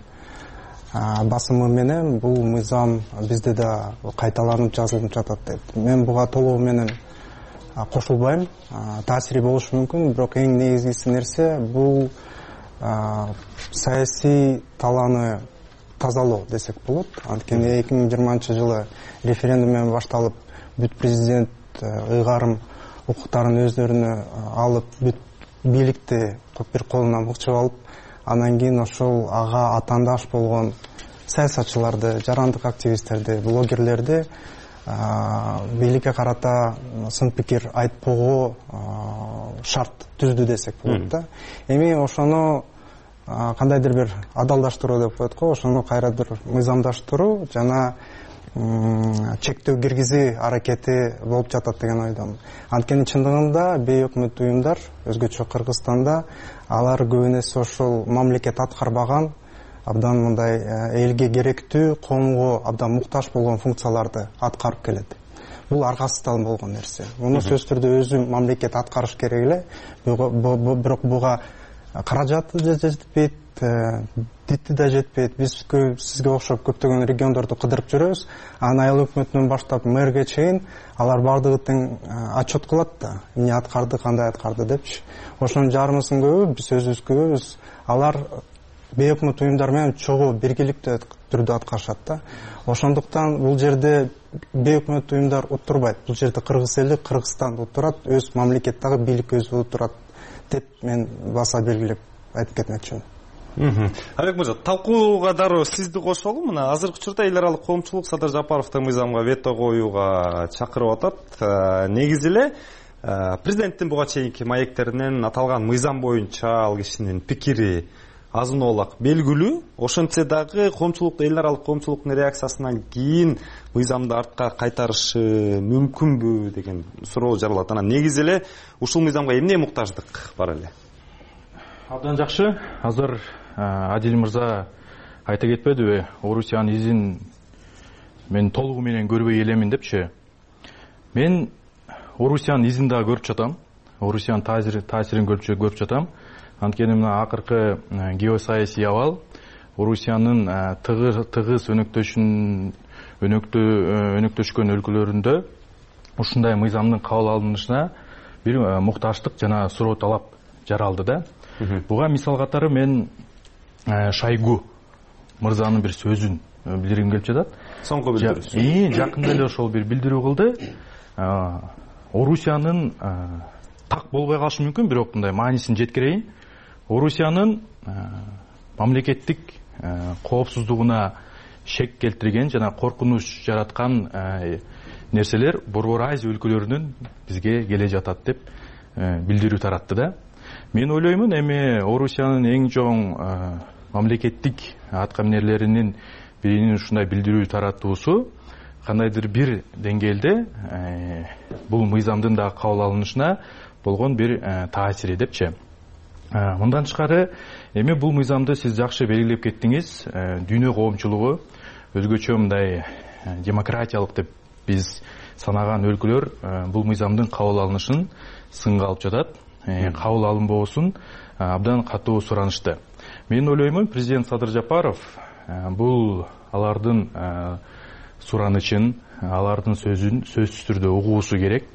басымы менен бул мыйзам бизде да кайталанып жазылып жатат дейт. Мен буга толугу менен кошулбайм. Таасири болушу мүмкүн, бирок эң негизгиси нерсе бул саясий талааны тазалоо десек болот. Анткени эки миң жыйырманчы жылы референдум менен башталып, бүт президент ыйгарым укуктарын өздөрүнө алып, бүт бийликти бир колуна мыкчып алып, анан кийин ошол ага атаандаш болгон саясатчыларды, жарандык активисттерди, блогерлерди бийликке карата сын пикир айтпоого шарт түздү десек болот да. Эми ошону кандайдыр бир адалдаштыруу деп коет го, ошону кайра бир мыйзамдаштыруу жана чектөө киргизүү аракети болуп жатат деген ойдомун. Анткени чындыгында бейөкмөт уюмдар өзгөчө Кыргызстанда алар көбүнесе ошол мамлекет аткарбаган абдан мындай элге керектүү, коомго абдан муктаж болгон функцияларды аткарып келет. Бул аргасыздан болгон нерсе. Муну сөзсүз түрдө өзү мамлекет аткарыш керек эле. Бирок буга каражаты да жетпейт, дити да жетпейт. Биз сизге окшоп көптөгөн региондорду кыдырып жүрөбүз. Анын айыл өкмөтүнөн баштап мэрге чейин алар бардыгы тең отчет кылат да, эмне аткарды, кандай аткарды депчи. Ошонун жарымысын көбү биз өзүбүз көрөбүз. Алар бейөкмөт уюмдар менен чогуу биргеликтүү түрдө аткарышат да. Ошондуктан бул жерде бейөкмөт уюмдар уттурбайт. Бул жерде Кыргыз эли, Кыргызстан уттурат, өз мамлекеттеги бийлик өзү уттурат деп мен баса белгилеп айтып кетмекчимин. Алек мырза, талкууга дароо сизди кошолу. Мына азыркы учурда эл аралык коомчулук Садыр Жапаровдун мыйзамга вето коюуга чакырып атат. Негизи эле президенттин буга чейинки маектеринен аталган мыйзам боюнча ал кишинин пикири азын-оолак белгилүү. Ошентсе дагы коомчулук, эл аралык коомчулуктун реакциясынан кийин мыйзамды артка кайтарышы мүмкүнбү деген суроо жаралат. Анан негизи эле ушул мыйзамга эмне муктаждык бар эле? Абдан жакшы. Азыр Адил мырза айта кетпедиби? Орусиянын изин мен толугу менен көрбөй элемин депчи. Мен Орусиянын изин да көрүп жатам. Орусиянын таасирин көрүп жатам. Анткени мына акыркы геосаясий абал Орусиянын тыгыз өнөктөшүн өнөктөшкөн өлкөлөрүндө ушундай мыйзамдын кабыл алынышына бир мукташтык жана суроо талап жаралды да. Буга мисал катары мен Шойгу мырзанын бир сөзүн билдиргим келип жатат. Соңку билдирүү. Жакында эле ошол бир билдирүү кылды. Орусиянын так болбой калышы мүмкүн, бирок мындай маанисин жеткирейин. Орусиянын мамлекеттик коопсуздугуна шек келтирген жана коркунуч жараткан нерселер Борбор Азия өлкөлөрүнөн бизге келе жатат деп билдирүү таратты да. Мен ойлоймун, эми Орусиянын эң чоң мамлекеттик аткаминерлеринин биринин ушундай билдирүү таратуусу кандайдыр бир деңгээлде бул мыйзамдын да кабыл алынышына болгон бир таасири депчи. Мындан тышкары, эми бул мыйзамды сиз жакшы белгилеп кеттиңиз. Дүйнө коомчулугу өзгөчө мындай демократиялык деп биз санаган өлкөлөр бул мыйзамдын кабыл алынышын сынга алып жатат. Кабыл алынбоосун абдан катуу суранышты. Мен ойлоймун, президент Садыр Жапаров бул алардын суранычын, алардын сөзүн сөзсүз түрдө угуусу керек.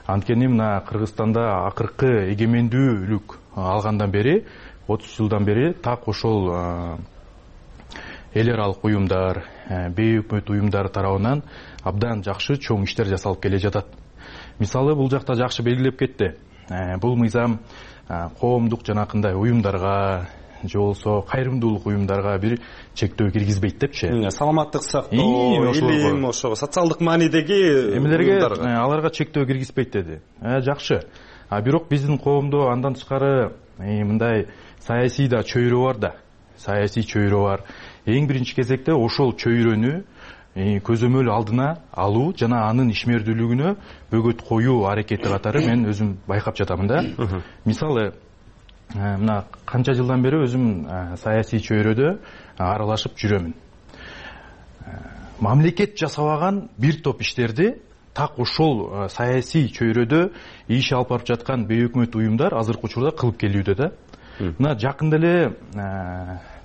Анткени мына Кыргызстанда акыркы эгемендүүлүк алгандан бери, отуз жылдан бери так ошол эл аралык уюмдар, бейөкмөт уюмдар тарабынан абдан жакшы чоң иштер жасалып келе жатат. Мисалы, бул жакта жакшы белгилеп кетти. Бул мыйзам коомдук жанакындай уюмдарга же болсо кайрымдуулук уюмдарга бир чектөө киргизбейт депчи. Саламаттык сактоо, илим, ошо социалдык маанидеги эмелерге аларга чектөө киргизбейт деди. Жакшы. А бирок биздин коомдо андан тышкары мындай саясий да чөйрө бар да. Саясий чөйрө бар. Эң биринчи кезекте ошол чөйрөнү көзөмөл алдына алуу жана анын ишмердүүлүгүнө бөгөт коюу аракети катары мен өзүм байкап жатамын да. Мисалы, мына канча жылдан бери өзүм саясий чөйрөдө аралашып жүрөмүн. Мамлекет жасабаган бир топ иштерди так ошол саясий чөйрөдө иш алып барып жаткан бейөкмөт уюмдар азыркы учурда кылып келүүдө да. Мына жакында эле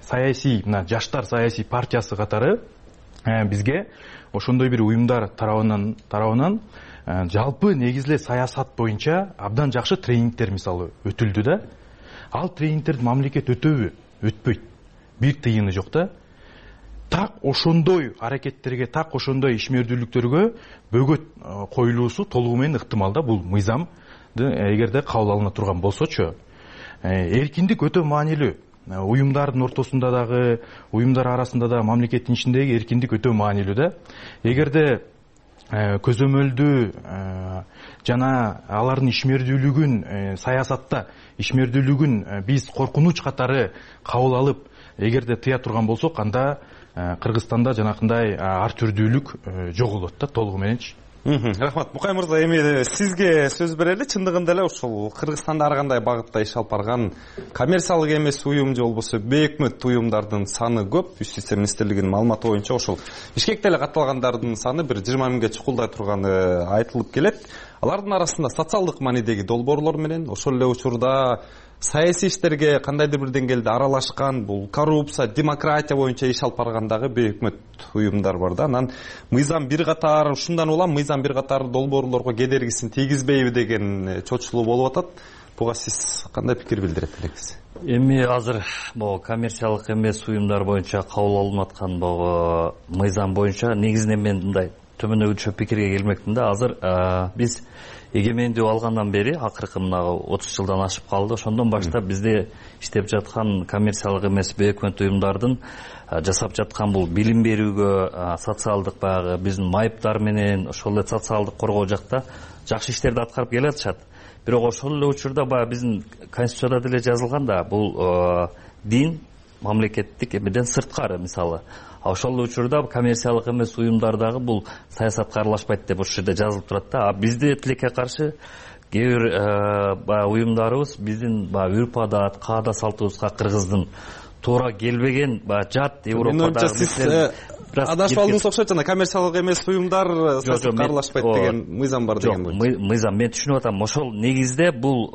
саясий, мына Жаштар саясий партиясы катары бизге ошондой бир уюмдар тарабынан тарабынан жалпы негизле саясат боюнча абдан жакшы тренингдер мисалы өтүлдү да. Ал тренингтерди мамлекет өтөбү? Өтпөйт. Бир тыйыны жок да. Так ошондой аракеттерге, так ошондой ишмердүүлүктөргө бөгөт коюлуусу толугу менен ыктымал да. Бул мыйзамды эгерде кабыл алына турган болсочу. Эркиндик өтө маанилүү. Уюмдардын ортосунда дагы, уюмдар арасында да, мамлекеттин ичиндеги эркиндик өтө маанилүү да. Эгерде көзөмөлдү жана алардын ишмердүүлүгүн, саясатта ишмердүүлүгүн биз коркунуч катары кабыл алып, эгерде тыя турган болсок, анда Кыргызстанда жанакындай ар түрдүүлүк жоголот да толугу менен. Рахмат. Мукай мырза, эми сизге сөз берели. Чындыгында эле ушул Кыргызстанда ар кандай багытта иш алып барган коммерциялык эмес уюм же болбосо бейөкмөт уюмдардын саны көп. Юстиция министрлигинин маалыматы боюнча ошол Бишкекте эле катталгандардын саны бир жыйырма миңге чукулдай турганы айтылып келет. Алардын арасында социалдык маанидеги долбоорлор менен ошол эле учурда саясий иштерге кандайдыр бир деңгээлде аралашкан, бул коррупция, демократия боюнча иш алып баргандагы бейөкмөт уюмдар бар да. Анан мыйзам бир катар, ушундан улам мыйзам бир катар долбоорлорго кедергисин тийгизбейби деген чочулуу болуп атат. Буга сиз кандай пикир билдирет элеңиз? Эми азыр могу коммерциялык эмес уюмдар боюнча кабыл алынып аткан могу мыйзам боюнча негизинен мен мындай төмөндөкүчө пикирге келмекмин да. Азыр биз эгемендүү алгандан бери акыркы мына отуз жылдан ашып калды. Ошондон баштап бизде иштеп жаткан коммерциялык эмес бейөкмөт уюмдардын жасап жаткан бул билим берүүгө, социалдык баягы биздин майыптар менен ошол эле социалдык коргоо жакта жакшы иштерди аткарып келатышат. Бирок ошол эле учурда баягы биздин конституцияда деле жазылган да, бул дин мамлекеттик эмеден сырткары мисалы. Ошол эле учурда коммерциялык эмес уюмдардагы бул саясатка аралашпайт деп ошол жерде жазылып турат да. А бизде тилекке каршы кээ бир баягы уюмдарыбыз биздин баягы үрп адат, каада салтыбызга кыргыздын туура келбеген баягы жат Европадагы адашып алдыңыз окшойт, жана коммерциялык эмес уюмдар саясатка аралашпайт деген мыйзам бар деген. Жок, мыйзам мен түшүнүп атам. Ошол негизде бул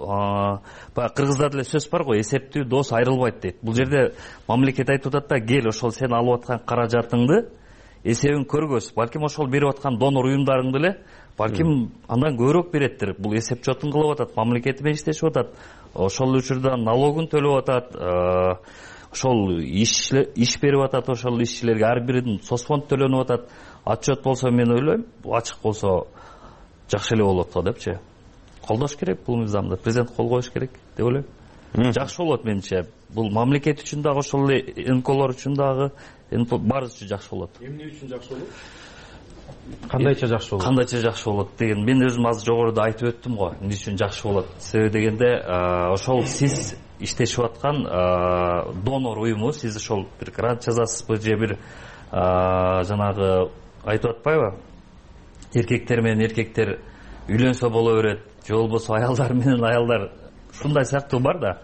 баягы кыргызда деле сөз бар го, эсептүү дос айрылбайт дейт. Бул жерде мамлекет айтып атат да, кел ошол сен алып аткан каражатыңды эсебин көргөз. Балким ошол берип аткан донор уюмдарың деле балким андан көбүрөөк береттир. Бул эсеп жотун кылып атат, мамлекети менен иштешип атат. Ошол учурда налогун төлөп атат. Ошол иш иш берип атат, ошол ишчилерге ар биринин соцфонд төлөнүп атат. Отчет болсо мен ойлойм, ачык болсо жакшы эле болот го депчи. Колдош керек бул мыйзамды, президент кол коюш керек деп ойлойм. Жакшы болот менимче. Бул мамлекет үчүн дагы ошол эле эн ка олор үчүн дагы баарыбыз үчүн жакшы болот. Эмне үчүн жакшы болот? Кандайча жакшы болот? Кандайча жакшы болот деген мен өзүм азыр жогоруда айтып өттүм го. Эмне үчүн жакшы болот? Себеби дегенде ошол сиз иштешип аткан донор уюму, сиз ошол бир грант жазасызбы же бир жанагы айтып атпайбы? Эркектер менен эркектер үйлөнсө боло берет, же болбосо аялдар менен аялдар, ушундай сыяктуу бар да.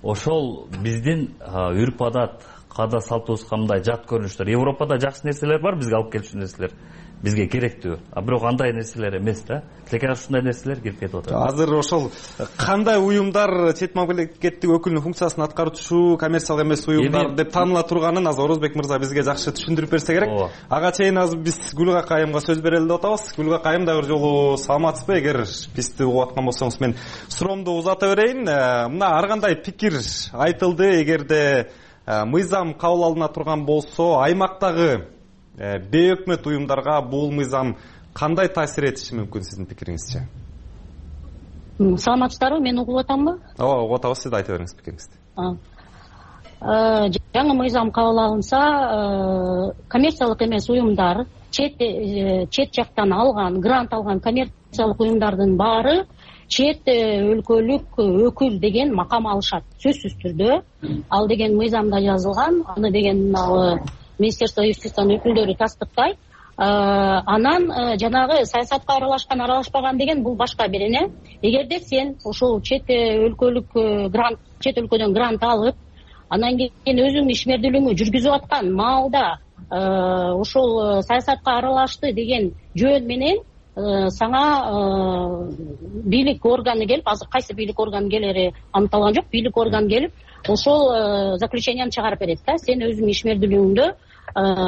Ошол биздин үрп адат, каада салтыбызга мындай жат көрүнүштөр. Европада жакшы нерселер бар, бизге алып келчү нерселер. Бизге керектүү. А бирок андай нерселер эмес да. Тилекке ушундай нерселер кирип кетип атат. Азыр ошол кандай уюмдар чет мамлекеттик өкүлүнүн функциясын аткаруучу коммерциялык эмес уюмдар деп тааныла турганын азыр Орозбек мырза бизге жакшы түшүндүрүп берсе керек. Ага чейин азыр биз Гүлгак айымга сөз берели деп атабыз. Гүлгак айым да бир жолу саламатсызбы? Эгер бизди угуп аткан болсоңуз мен суроомду узата берейин. Мына ар кандай пикир айтылды. Эгерде мыйзам кабыл алына турган болсо, аймактагы бейөкмөт уюмдарга бул мыйзам кандай таасир этиши мүмкүн сиздин пикириңизче? Саламатсыздарбы? Мен угуп атамбы? Ооба, угуп атабыз. Сиз айта бериңиз пикириңизди. Жаңы мыйзам кабыл алынса, коммерциялык эмес уюмдар, чет чет жактан алган, грант алган коммерциялык уюмдардын баары чет өлкөлүк өкүл деген макам алышат. Сөзсүз түрдө ал деген мыйзамда жазылган, аны деген Министерство юстициянын өкүлдөрү тастыктайт. Анан жанагы саясатка аралашкан, аралашпаган деген бул башка бирине. Эгерде сен ошол чет өлкөлүк грант, чет өлкөдөн грант алып, анан кийин өзүңдүн ишмердүүлүгүңдү жүргүзүп аткан маалда ошол саясатка аралашты деген жөн менен сага бийлик органы келип, азыр кайсы бийлик органы келери аныкталган жок, бийлик органы келип ошол заключенияны чыгарып берет да. Сен өзүңдүн ишмердүүлүгүңдө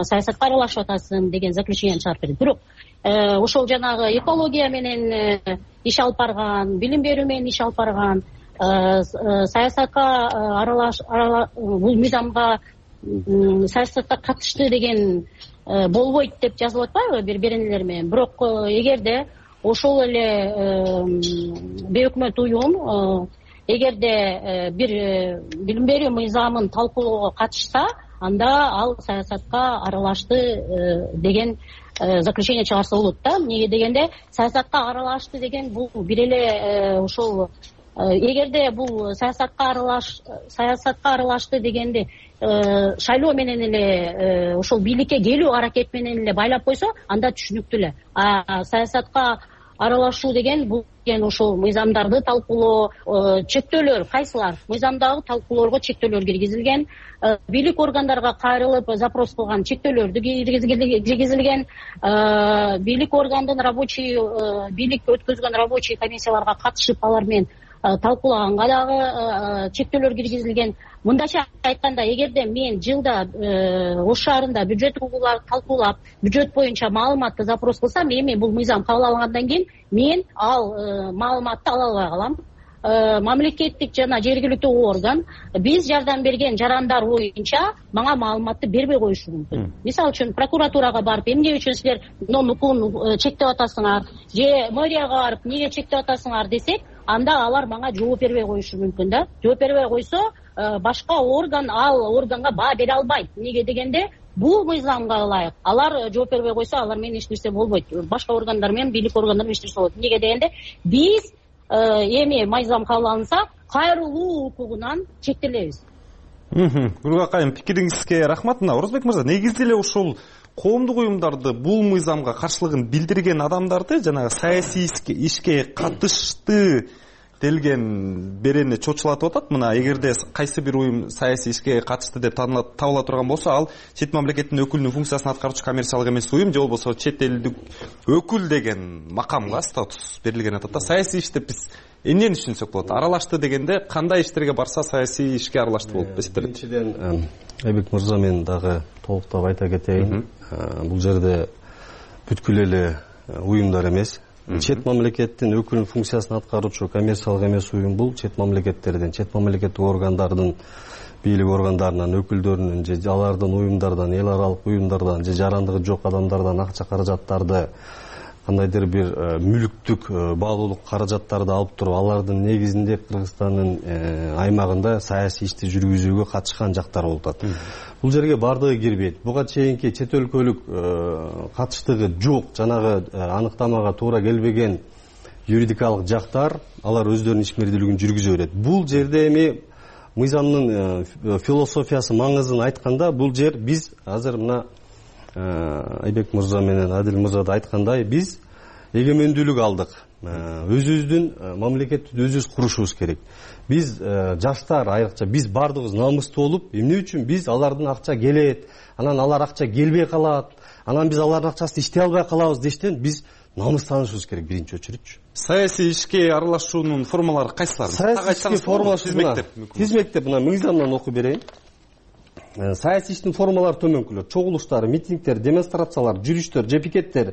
саясатка аралашып атасың деген заключенияны чыгарып берет. Бирок ошол жанагы экология менен иш алып барган, билим берүү менен иш алып барган, саясатка аралаш бул мыйзамга саясатка катышты деген болбойт деп жазылып атпайбы бир беренелер менен. Бирок эгерде ошол эле бейөкмөт уюм эгерде бир билим берүү мыйзамын талкуулоого катышса, анда ал саясатка аралашты деген заключение чыгарса болот да. Эмнеге дегенде, саясатка аралашты деген бул бир эле ошол эгерде бул саясатка аралаш саясатка аралашты дегенди шайлоо менен эле ошол бийликке келүү аракети менен эле байлап койсо, анда түшүнүктүү эле. А саясатка аралашуу деген бул деген ошол мыйзамдарды талкуулоо, чектөөлөр кайсылар? Мыйзамдагы талкуулоого чектөөлөр киргизилген, бийлик органдарга кайрылып запрос кылган чектөөлөрдү киргизилген, бийлик органдын рабочий бийлик өткөзгөн рабочий комиссияларга катышып алар менен талкуулаганга дагы чектөөлөр киргизилген. Мындайча айтканда, эгерде мен жылда Ош шаарында бюджет талкуулап, бюджет боюнча маалыматты запрос кылсам, эми бул мыйзам кабыл алынгандан кийин мен ал маалыматты ала албай калам. Мамлекеттик жана жергиликтүү орган биз жардам берген жарандар боюнча мага маалыматты бербей коюшу мүмкүн. Мисалы үчүн прокуратурага барып, эмне үчүн силер укугун чектеп атасыңар, же мэрияга барып эмнеге чектеп атасыңар десек, анда алар мага жооп бербей коюшу мүмкүн да. Жооп бербей койсо, башка орган ал органга баа бере албайт. Эмнеге дегенде, бул мыйзамга ылайык. Алар жооп бербей койсо, алар менен эч нерсе болбойт. Башка органдар менен бийлик органдары менен эч нерсе болбойт. Эмнеге дегенде, биз эми мыйзам кабыл алынса, кайрылуу укугунан чектелебиз. Гүлгүл акайым, пикириңизге рахмат. Мына Орозбек мырза, негизи эле ушул коомдук уюмдарды бул мыйзамга каршылыгын билдирген адамдарды жанагы саясий ишке катышты делген берени чочулатып атат. Мына эгерде кайсы бир уюм саясий ишке катышты деп табыла турган болсо, ал чет мамлекеттин өкүлүнүн функциясын аткаруучу коммерциялык эмес уюм же болбосо чет элдик өкүл деген макамга статус берилген атат да. Саясий иш деп биз эмнени түшүнсөк болот? Аралашты дегенде кандай иштерге барса саясий ишке аралашты болуп эсептелет? Биринчиден, Айбек мырза, мен дагы толуктап айта кетейин. Бул жерде бүткүл эле уюмдар эмес, чет мамлекеттин өкүлүнүн функциясын аткаруучу коммерциялык эмес уюм бул чет мамлекеттерден, чет мамлекеттик органдардын, бийлик органдарынан, өкүлдөрүнүн же алардын уюмдардан, эл аралык уюмдардан же жарандыгы жок адамдардан акча каражаттарды, кандайдыр бир мүлүктүк баалуулук каражаттарды алып туруп, алардын негизинде Кыргызстандын аймагында саясий ишти жүргүзүүгө катышкан жактар болуп атат. Бул жерге бардыгы кирбейт. Буга чейинки чет өлкөлүк катыштыгы жок, жанагы аныктамага туура келбеген юридикалык жактар, алар өздөрүнүн ишмердүүлүгүн жүргүзө берет. Бул жерде эми мыйзамдын философиясы, маңызын айтканда, бул жер биз азыр мына Айбек мырза менен Адил мырза да айткандай, биз эгемендүүлүк алдык. Өзүбүздүн мамлекетти өзүбүз курушубуз керек. Биз жаштар, айрыкча биз бардыгыбыз намыстуу болуп, эмне үчүн биз алардын акча келет, анан алар акча келбей калат, анан биз алардын акчасын иштей албай калабыз дештен биз намыстанышыбыз керек биринчи очередчи. Саясий ишке аралашуунун формалары кайсылар? Саясий ишке формасы тизмектеп мына мыйзамдан окуп берейин. Саясий иштин формалары төмөнкүлөр: чогулуштар, митингдер, демонстрациялар, жүрүштөр же пикеттер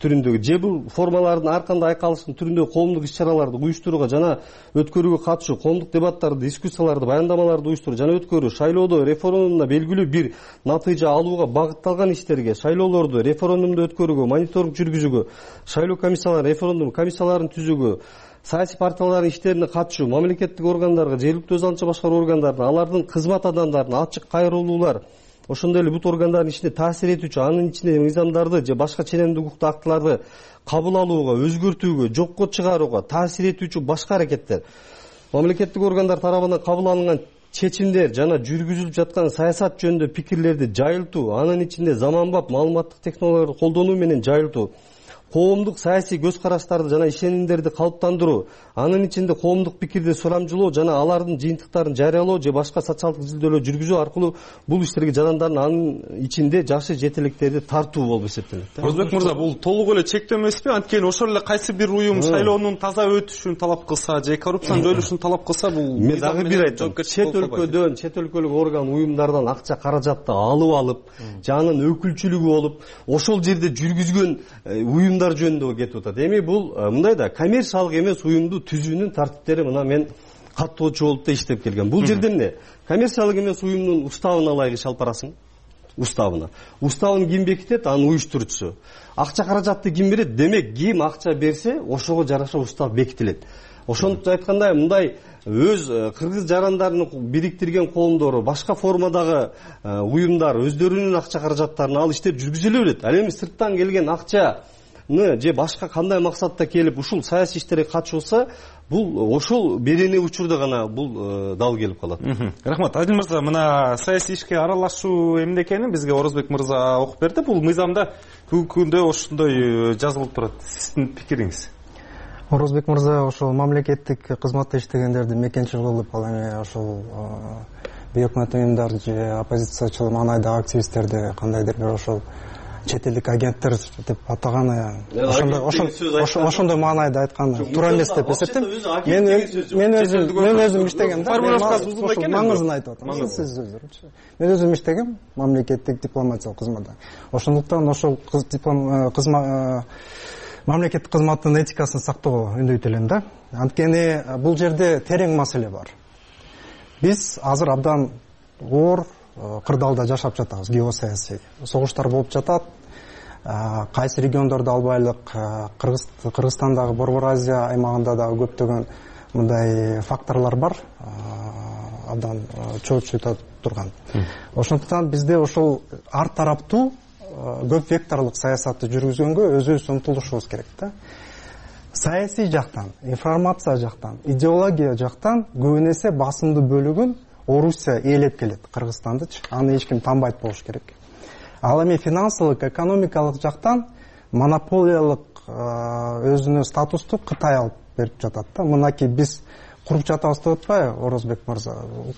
түрүндөгү же бул формалардын ар кандай айкалыштын түрүндөгү коомдук иш-чараларды уюштурууга жана өткөрүүгө катышуу, коомдук дебаттарды, дискуссияларды, баяндамаларды уюштуруу жана өткөрүү, шайлоодо референдумда белгилүү бир натыйжа алууга багытталган иштерге, шайлоолорду референдумду өткөрүүгө, мониторинг жүргүзүүгө, шайлоо комиссиялары, референдум комиссияларын түзүүгө, саясий партиялардын иштерине катышуу, мамлекеттик органдарга, жергиликтүү өз алдынча башкаруу органдарына, алардын кызмат адамдарына ачык кайрылуулар, ошондой эле бут органдардын ишине таасир этүүчү, анын ичинде мыйзамдарды же башка ченемдик укуктук актыларды кабыл алууга, өзгөртүүгө, жокко чыгарууга таасир этүүчү башка аракеттер, мамлекеттик органдар тарабынан кабыл алынган чечимдер жана жүргүзүлүп жаткан саясат жөнүндө пикирлерди жайылтуу, анын ичинде заманбап маалыматтык технологияларды колдонуу менен жайылтуу, коомдук саясий көз караштарды жана ишенимдерди калыптандыруу, анын ичинде коомдук пикирди сурамжылоо жана алардын жыйынтыктарын жарыялоо же башка социалдык изилдөөлөр жүргүзүү аркылуу бул иштерге жарандардын анын ичинде жакшы жетеликтерди тартуу болуп эсептелет. Орозбек мырза, бул толук эле чектөө эмеспи? Анткени ошол эле кайсы бир уюм шайлоонун таза өтүшүн талап кылса же коррупциянын жоюлушун талап кылса, бул мен дагы бир айтам. Чет өлкөдөн, чет өлкөлүк орган уюмдардан акча каражатты алып алып, же анын өкүлчүлүгү болуп, ошол жерде жүргүзгөн уюмдар жөнүндө кетип атат. Эми бул мындай да коммерциялык эмес уюмду түзүүнүн тартиптери мына мен каттоочу болуп да иштеп келген. Бул жерде эмне? Коммерциялык эмес уюмдун уставын алайык, иш алып барасың. Уставына. Уставын ким бекитет? Анын уюштуруучусу. Акча каражатты ким берет? Демек, ким акча берсе, ошого жараша устав бекитилет. Ошондуктан айткандай, мындай өз кыргыз жарандарын бириктирген коомдору, башка формадагы уюмдар өздөрүнүн акча каражаттарын алып иштеп жүргүзүлө берет. Ал эми сырттан келген акча же башка кандай максатта келип ушул саясий иштерге катышса, бул ошол берене учурда гана бул дал келип калат. Рахмат. Адил мырза, мына саясий ишке аралашуу эмне экенин бизге Орозбек мырза окуп берди. Бул мыйзамда бүгүнкү күндө ошондой жазылып турат. Сиздин пикириңиз? Орозбек мырза ошол мамлекеттик кызматта иштегендерди мекенчил кылып, ал эми ошол бейөкмөт уюмдар же оппозициячыл маанайдагы активисттерди кандайдыр бир ошол чет элдик агенттер деп атаганы, ошондой ошондой маанайда айтканы туура эмес деп эсептейм. Мен мен өзүм мен өзүм иштегем да. Маңызын айтып атам. Сиз өзүңүз. Мен өзүм иштегем мамлекеттик дипломатиялык кызматта. Ошондуктан ошол диплом кызмат мамлекеттик кызматтын этикасын сактоого үндөйт элем да. Анткени бул жерде терең маселе бар. Биз азыр абдан оор кырдаалда жашап жатабыз, геосаясий. Согуштар болуп жатат. Кайсы региондордо албайлык, Кыргызстандагы Борбор Азия аймагында дагы көптөгөн мындай факторлор бар. Абдан чоочуйта турган. Ошондуктан бизде ошол ар тараптуу көп векторлук саясатты жүргүзгөнгө өзүбүз умтулушубуз керек да. Саясий жактан, информация жактан, идеология жактан көбүн эсе басымдуу бөлүгүн Орусия ээлеп келет, Кыргызстандычы. Аны эч ким танбайт болуш керек. Ал эми финансылык, экономикалык жактан монополиялык өзүнө статусту Кытай алып берип жатат да. Мынакей биз куруп жатабыз деп атпайбы, Орозбек мырза?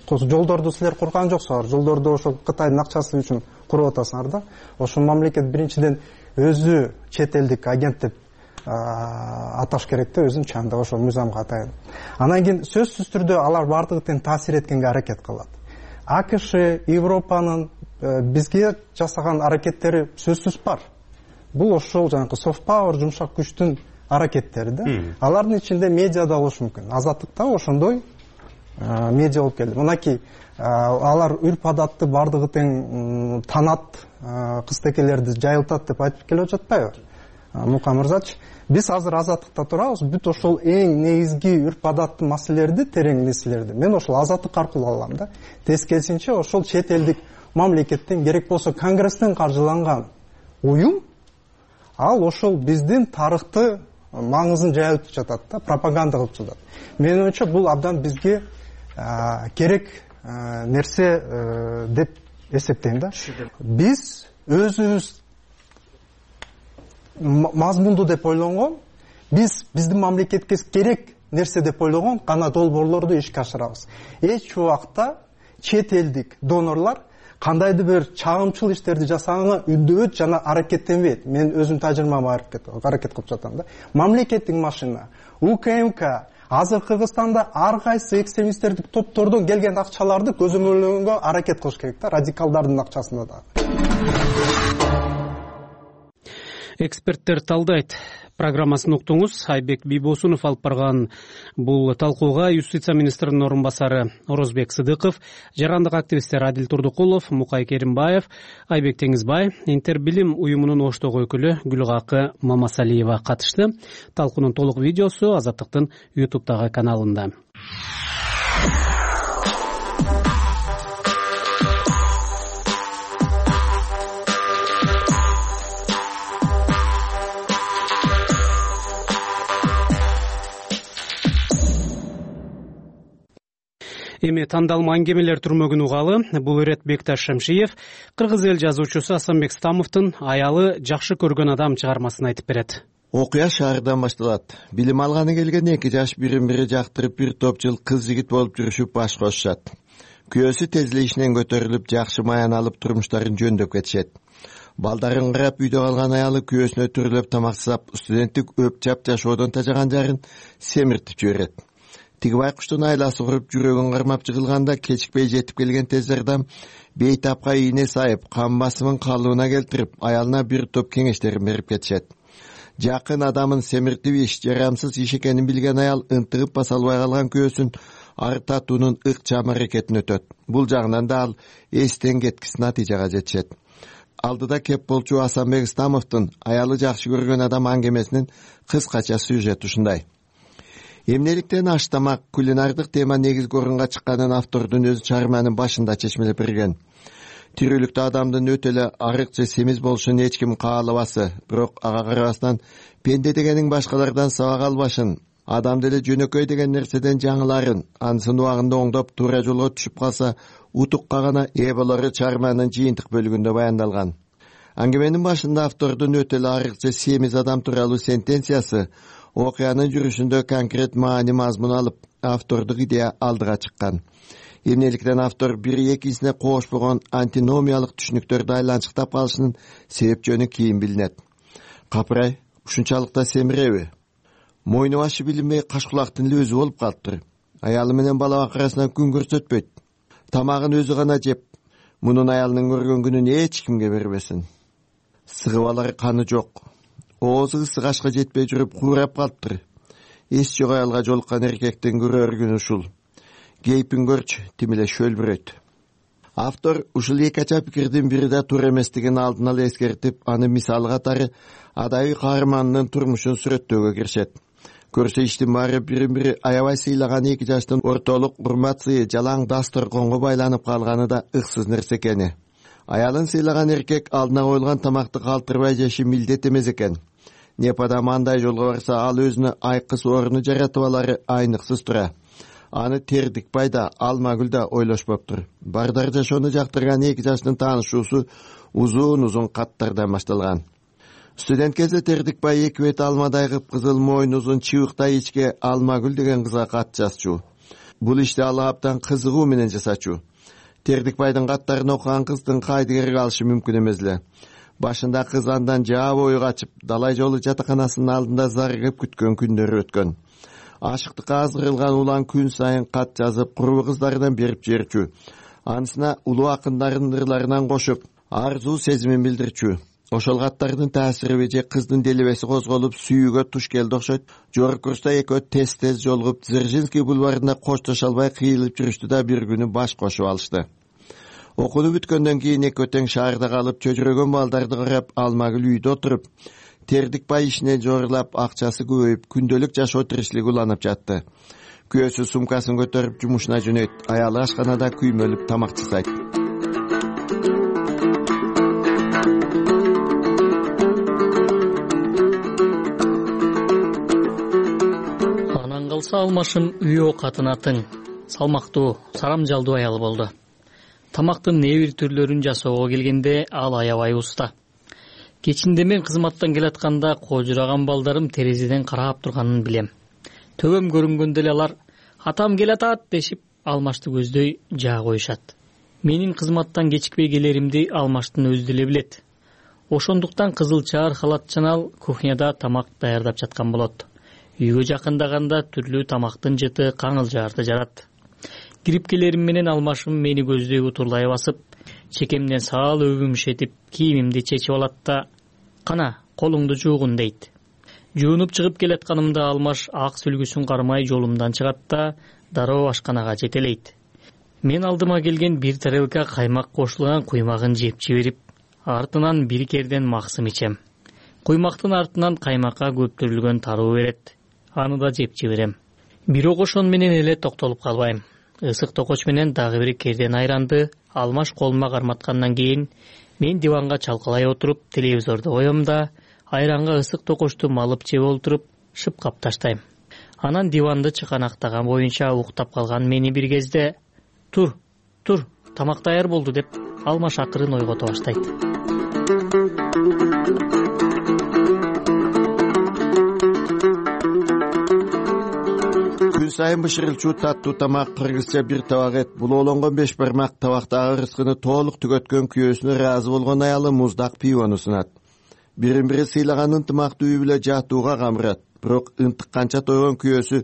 Жолдорду силер курган жоксуңар, жолдорду ошол Кытайдын акчасы үчүн куруп атасыңар да. Ошол мамлекет биринчиден өзү чет элдик агент деп аташ керек да, өзүн чанда ошол мыйзамга атайын. Анан кийин сөзсүз түрдө алар бардыгы тең таасир эткенге аракет кылат. АКШ, Европанын бизге жасаган аракеттери сөзсүз бар. Бул ошол жанагы soft power, жумшак күчтүн аракеттери да. Алардын ичинде медиа да болушу мүмкүн. Азаттыкта ошондой медиа болуп келди. Мынакей алар үрп адатты бардыгы тең танат, кызтекелерди жайылтат деп айтып келип жатпайбы? Мука мырзачы, биз азыр азаттыкта турабыз, бүт ошол эң негизги үрп адаттуу маселелерди, терең нерселерди мен ошол азаттык аркылуу алам да. Тескерисинче ошол чет элдик мамлекеттен, керек болсо Конгресстен каржыланган уюм, ал ошол биздин тарыхты маңызын жайылтып жатат да, пропаганда кылып жатат. Менин оюмча бул абдан бизге керек нерсе деп эсептейм да. Биз өзүбүз мазмундуу деп ойлонгон, биз биздин мамлекетке керек нерсе деп ойлогон гана долбоорлорду ишке ашырабыз. Эч убакта чет элдик донорлор кандайдыр бир чагымчыл иштерди жасаганга үндөбөйт жана аракеттенбейт. Мен өзүм тажрыйбама аракет аракет кылып жатам да. Мамлекеттик машина, УКМК азыр Кыргызстанда ар кайсы экстремисттердик топтордон келген акчаларды көзөмөлдөгөнгө аракет кылыш керек да, радикалдардын акчасына да. Эксперттер талдайт программасын уктуңуз. Айбек Бийбосунов алып барган бул талкууга юстиция министринин орун басары Орозбек Сыдыков, жарандык активисттер Адил Турдукулов, Мукай Керимбаев, Айбек Теңизбай, Интербилим уюмунун Оштогу өкүлү Гүлгакы Мамасалиева катышты. Талкуунун толук видеосу Азаттыктын ютубтагы каналында. Эми тандалма аңгемелер түрмөгүн угалы. Бул ирет Бекташ Шемшиев кыргыз эл жазуучусу Асанбек Стамовдун аялы жакшы көргөн адам чыгармасын айтып берет. Окуя шаардан башталат. Билим алганы келген эки жаш бирин бири жактырып бир топ жыл кыз жигит болуп жүрүшүп баш кошушат. Күйөөсү тезлешинен көтөрүлүп жакшы маян алып турмуштарын жөндөп кетишет. Балдарын карап үйдө калган аялы күйөөсүнө түрүлөп тамак жасап, студенттик өп жап жашоодон тажаган жарын семиртип жиберет. Тиги байкуштун айласы уруп жүрөгүн кармап жыгылганда кечикпей жетип келген тез жардам бейтапка ийне сайып, кан басымын калыбына келтирип, аялына бир топ кеңештерин берип кетишет. Жакын адамын семиртип иш жарамсыз иш экенин билген аял ынтыгып баса албай калган күйөөсүн арытатуунун ыкчам аракетин өтөт. Бул жагынан да ал эстен кеткис натыйжага жетишет. Алдыда кеп болчу Асанбек Стамовдун аялы жакшы көргөн адам аңгемесинин кыскача сюжети ушундай. Эмнеликтен аш тамак, кулинардык тема негизги орунга чыкканын автордун өзү чыгарманын башында чечмелеп берген. тирүүлүктө адамдын өтө эле арык же семиз болушун эч ким каалабасы, бирок ага карабастан пенде дегениң башкалардан сабак албашын, адам деле жөнөкөй деген нерседен жаңыларын, ансын убагында оңдоп туура жолго түшүп калса утукка гана ээ болору чыгарманын жыйынтык бөлүгүндө баяндалган. Аңгеменин башында автордун өтө эле арык же семиз адам тууралуу сентенциясы окуянын жүрүшүндө конкрет маани мазмун алып, автордук идея алдыга чыккан. Эмнеликтен автор бири экисине коошпогон антиномиялык түшүнүктөрдү айланчыктап калышынын себеп жөнү кийин билинет. Капырай, ушунчалык да семиреби? Мойну башы билинбей кашкулактын эле өзү болуп калыптыр. Аялы менен бала бакырасынан күн көрсөтпөйт. Тамагын өзү гана жеп, мунун аялынын көргөн күнүн эч кимге бербесин. Сыгып алар каны жок. Оозу ысык ашка жетпей жүрүп куурап калыптыр. Эс жок аялга жолуккан эркектин көрөр күнү ушул. Кейпин көрчү, тим эле шөлбүрөйт. Автор ушул эки ача пикирдин бири да туура эместигин алдын ала эскертип, аны мисалы катары адайый каармандын турмушун сүрөттөөгө киришет. Көрсө иштин баары бирин-бири аябай сыйлаган эки жаштын ортолук урмат сыйы жалаң дасторконго байланып калганы да ыксыз нерсе экени. Аялын сыйлаган эркек алдына коюлган тамакты калтырбай жеши милдет эмес экен. Непада мандай жолго барса, ал өзүнө айкыс орну жаратып алары айныксыз тура. Аны Тердикбай да, Алмагүл да ойлошпоптур. Бардар жашоону жактырган эки жаштын таанышуусу узун-узун каттардан башталган. Студент кезде Тердикбай эки бет алмадай кыпкызыл, мойну узун, чыбыктай ичке Алмагүл деген кызга кат жазчу. Бул ишти ал абдан кызыгуу менен жасачу. Тердикбайдын каттарын окуган кыздын кайдыгер калышы мүмкүн эмес эле. Башында кыз андан жаа бою качып, далай жолу жатаканасынын алдында зарыгып күткөн күндөрү өткөн. Ашыктыкка азырылган улан күн сайын кат жазып, курбу кыздарынан берип жиберчү. Анысына улуу акындардын ырларынан кошуп, арзуу сезимин билдирчү. Ошол каттардын таасириби же кыздын делебеси козголуп, сүйүүгө туш келди окшойт. Жогорку курста экөө тез-тез жолугуп, Дзержинский бульварында коштошо албай кыйылып жүрүштү да бир күнү баш кошуп алышты. Окууну бүткөндөн кийин экөө тең шаарда калып, чөчүрөгөн балдарды карап, Алмагүл үйдө отуруп, Тердикбай ишине жорулап, акчасы көбөйүп, күндөлүк жашоо тиричилиги уланып жатты. Күйөөсү сумкасын көтөрүп жумушуна жөнөйт, аялы ашканада күймөлүп тамак жасайт. Анан калса Алмашым үйөө катынатың, салмактуу, сарамжалдуу аял болду. Тамактын не бир түрлөрүн жасоого келгенде ал аябай уста. Кечинде мен кызматтан келатканда кожураган балдарым терезеден карап турганын билем. Төбөм көрүнгөндө эле алар "Атам келатат" дешип, Алмашты көздөй жаа коюшат. Менин кызматтан кечикпей келеримди Алмаштын өзү деле билет. Ошондуктан кызыл чаар халатчан ал кухняда тамак даярдап жаткан болот. Үйгө жакындаганда түрлүү тамактын жыты каңылжарды жарат. Кирип келерим менен Алмашым мени көздөй утурлай басып, чекемден саал өбүмшетип, кийимимди чечип алат да "Кана, колуңду жуугун" дейт. Жуунуп чыгып келатканымда Алмаш ак сүлгүсүн кармай жолумдан чыгат да дароо ашканага жетелейт. Мен алдыма келген бир тарелка каймак кошулган куймагын жеп жиберип, артынан бир керден максым ичем. Куймактын артынан каймакка көптүрүлгөн таруу берет. Аны да жеп жиберем. Бирок ошон менен эле токтолуп калбайм. Ысык токоч менен дагы бир керден айранды Алмаш колума карматкандан кийин мен диванга чалкалай отуруп телевизорду коем да айранга ысык токочту малып жеп олтуруп шыпкап таштайм. Анан диванды чыканактаган боюнча уктап калган мени бир кезде "Тур, тур, тамак даяр болду" деп Алмаш акырын ойгото баштайт. Күн сайын бышырылчу таттуу тамак, кыргызча бир табак эт, булоолонгон беш бармак табактагы рызкыны толук түгөткөн күйөөсүнө ыраазы болгон аялы муздак пивону сунат. Бирин-бири сыйлаган ынтымактуу үй бүлө жатууга камырат. Бирок ынтыкканча тойгон күйөөсү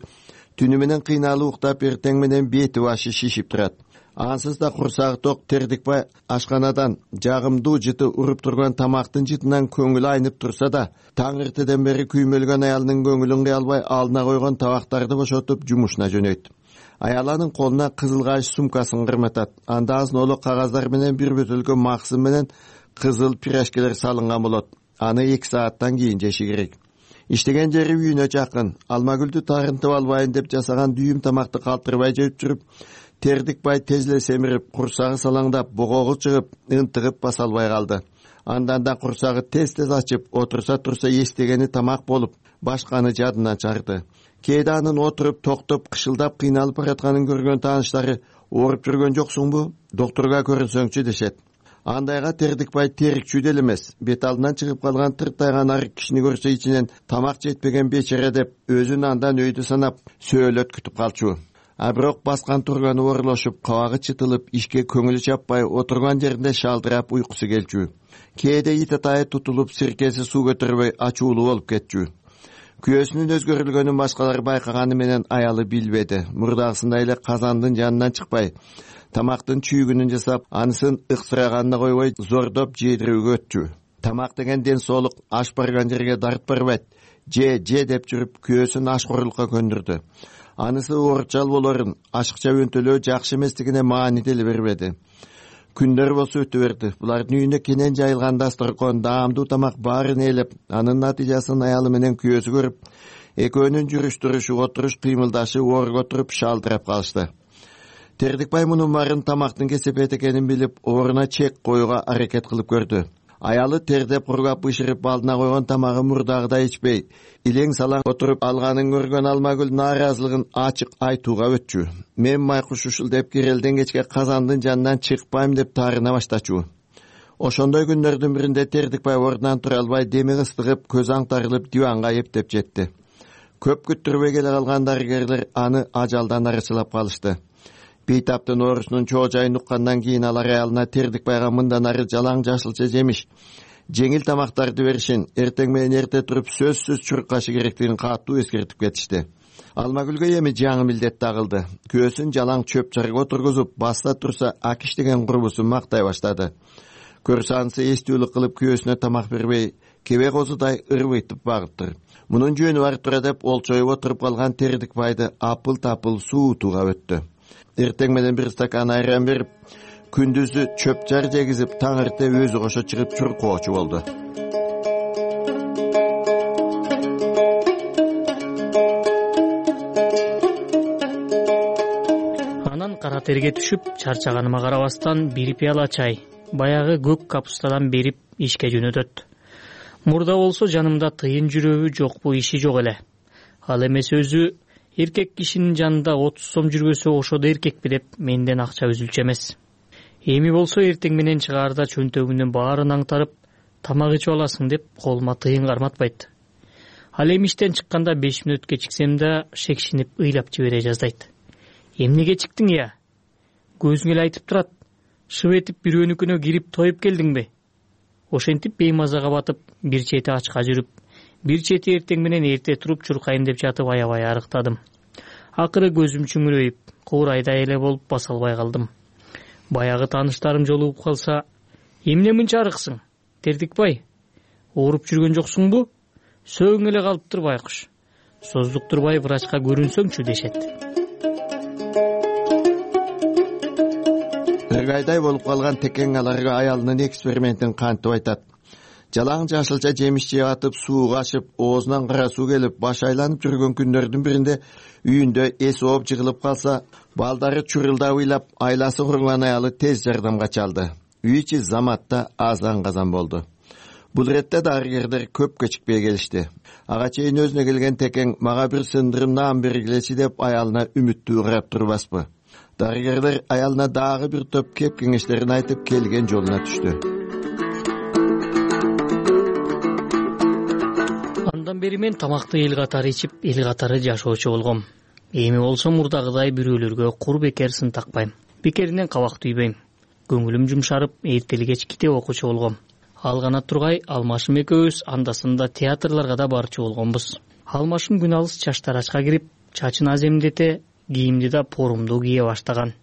түнү менен кыйналып уктап, эртең менен бети башы шишип турат. Ансыз да курсагы ток Тердикбай ашканадан жагымдуу жыты уруп турган тамактын жытынан көңүлү айнып турса да, таң эртеден бери күймөлгөн аялынын көңүлүн кыя албай алдына койгон табактарды бошотуп жумушуна жөнөйт. Аяланын колуна кызыл кайыш сумкасын кырматат. Анда азын-оло кагаздар менен бир бөтөлкө максым менен кызыл пирожкилер салынган болот. Аны эки сааттан кийин жеши керек. Иштеген жери үйүнө жакын. Алмагүлдү тарынтып албайын деп жасаган дүйүм тамакты калтырбай жеп жүрүп, Тердикбай тез эле семирип, курсагы салаңдап, богогу чыгып, ынтыгып баса албай калды. Андан да курсагы тез-тез ачып, отурса турса эстегени тамак болуп, башканы жадынан чыгарды. Кээде анын отуруп, токтоп, кышылдап, кыйналып баратканын көргөн тааныштары ооруп жүргөн жоксуңбу? Доктурга көрүнсөңчү дешет. Андайга Тердикбай терикчүү деле эмес. Бет алдынан чыгып калган тыртайган арык кишини көрсө ичинен тамак жетпеген бечере деп өзүн андан өйдү санап сөөлөт күтүп калчу. А бирок баскан турганы орлошуп, кабагы чытылып, ишке көңүлү чаппай, отурган жеринде шалдырап уйкусу келчү. Кээде ит атайы тутулуп, сиркеси суу көтөрбөй ачуулуу болуп кетчү. Күйөөсүнүн өзгөрүлгөнүн башкалар байкаганы менен аялы билбеди. Мурдагысындай эле казандын жанынан чыкпай, тамактын чүйгүнүн жасап, анысын ыксыраганына койбой, зордоп жедирүүгө өтчү. Тамак деген ден соолук, аш барган жерге дарт барбайт. Же, же деп жүрүп, күйөөсүн ашкорлукка көндүрдү. Анысы оорчал болорун, ашыкча өнтөлөө жакшы эместигине маани деле бербеди. Күндөр болсо өтө берди. Булардын үйүнө кенен жайылган дасторкон, даамдуу тамак баарын ээлеп, анын натыйжасын аялы менен күйөөсү көрүп, экөөнүн жүрүш турушу, отуруш кыймылдашы орго туруп шалдырап калышты. Тердикбай мунун баарын тамактын кесепет экенин билип, ордуна чек коюуга аракет кылып көрдү. Аялы тердеп, кургап, бышырып алдына койгон тамагы мурдагыдай ичпей, илең салаң отуруп алганын көргөн Алмагүл нааразылыгын ачык айтууга өтчү. Мен майкуш ушул деп кирелден кечке казандын жанынан чыкпайм деп таарына баштачу. Ошондой күндөрдүн биринде Тердикбай ордунан тура албай, деми ыстыгып, көз аңтарылып диванга эптеп жетти. Көп күттүрбөй келе калган дарыгерлер аны ажалдан арычылап калышты. Бейтаптын оорусунун чоо жайын уккандан кийин алар аялына Тердикбайга мындан ары жалаң жашылча жемиш, жеңил тамактарды беришин, эртең менен эрте туруп сөзсүз чуркашы керектигин катуу эскертип кетишти. Алмагүлгө эми жаңы милдет тагылды. Күйөөсүн жалаң чөп чарга отургузуп, баста турса Акиш деген курбусун мактай баштады. Көрсө анысы эстүүлүк кылып күйөөсүнө тамак бербей, кебе козудай ырбыйтып багыптыр. Мунун жөнү бар тура деп олчоюп отуруп калган Тердикбайды апыл-тапыл суутууга өттү. Эртең менен бир стакан айран берип, күндүзү чөп жар жегизип, таң эрте өзү кошо чыгып чуркоочу болду. Анан кара терге түшүп, чарчаганыма карабастан бир пияла чай, баягы көк капустадан берип ишке жөнөтөт. Мурда болсо жанымда тыйын жүрөбү жокпу иши жок эле. Ал эмес өзү эркек кишинин жанында отуз сом жүрбөсө ошодо эркекпи деп менден акча үзүлчү эмес. Эми болсо эртең менен чыгаарда чөнтөгүмдүн баарын аңтарып, тамак ичип аласың деп колума тыйын карматпайт. Ал эми иштен чыкканда беш мүнөт кечиксем да шекшинип ыйлап жибере жаздайт. Эмнеге чыктың я? Көзүң эле айтып турат. Шып этип бирөөнүкүнө кирип тоюп келдиңби? Ошентип беймазага батып, бир чети ачка жүрүп, бир чети эртең менен эрте туруп чуркайын деп жатып аябай арыктадым. Акыры көзүм чүңүрөйүп, куурайдай эле болуп баса албай калдым. Баягы тааныштарым жолугуп калса, эмне мынча арыксың? Тердикбай, ооруп жүргөн жоксуңбу? Сөөң эле калыптыр байкуш. Создуктурбай врачка көрүнсөңчү дешет. Ыргайдай болуп калган Текең аларга аялынын экспериментин кантип айтат. Жалаң жашылча жемиш жеп атып, сууга ашып, оозунан кара суу келип, баш айланып жүргөн күндөрдүн биринде үйүндө эс ооп жыгылып калса, балдары чурулдап ыйлап, айласы куруган аялы тез жардамга чалды. Үй ичи заматта азан-казан болду. Бул иретте дарыгерлер көп кечикпей келишти. Ага чейин өзүнө келген Текең мага бир сындырым наан бергилечи деп аялына үмүттүү карап турбаспы. Дарыгерлер аялына дагы бир топ кеп кеңештерин айтып келген жолуна түштү. Андан бери мен тамакты эл катары ичип, эл катары жашоочу болгом. Эми болсо мурдагыдай бирөөлөргө кур бекер сын такпайм. Бекеринен кабак түйбөйм. Көңүлүм жумшарып, эртели кеч китеп окуучу болгом. Ал гана тургай Алмашым экөөбүз андасында театрларга да барчу болгонбуз. Алмашым күн алыс чаштарачка кирип, чачын аземдете, кийимди да порумдуу кие баштаган.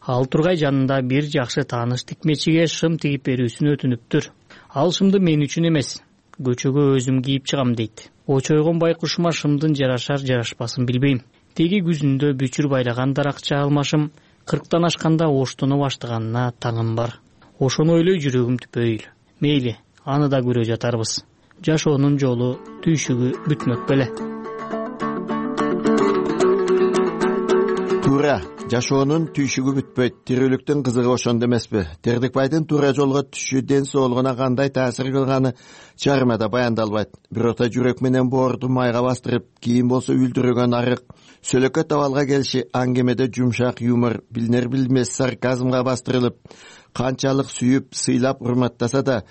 Ал тургай жанында бир жакшы тааныш тикмечиге шым тигип берүүсүн өтүнүптүр. Ал шымды мен үчүн эмес, көчөгө өзүм кийип чыгам дейт. Очойгон байкушума шымдын жарашар жарашпасын билбейм. Теги күзүндө бүчүр байлаган даракча Алмашым кырктан ашканда оштоно баштаганына таңым бар. Ошону ойлой жүрөгүм түпөйүл. Мейли, аны да көрө жатарбыз. Жашоонун жолу, түйшүгү бүтмөк беле. туура жашоонун түйшүгү бүтпөйт, тирүүлүктүн кызыгы ошондо эмеспи? Тердикбайдын туура жолго түшүшү ден соолугуна кандай таасир кылганы чыгармада баяндалбайт. Бирок жүрөк менен боорду майга бастырып, кийин болсо үлдүрөгөн арык, сөлөкөт абалга келиши, аңгемеде жумшак юмор, билинер билбес сарказмга бастырылып, канчалык сүйүп, сыйлап урматтаса да,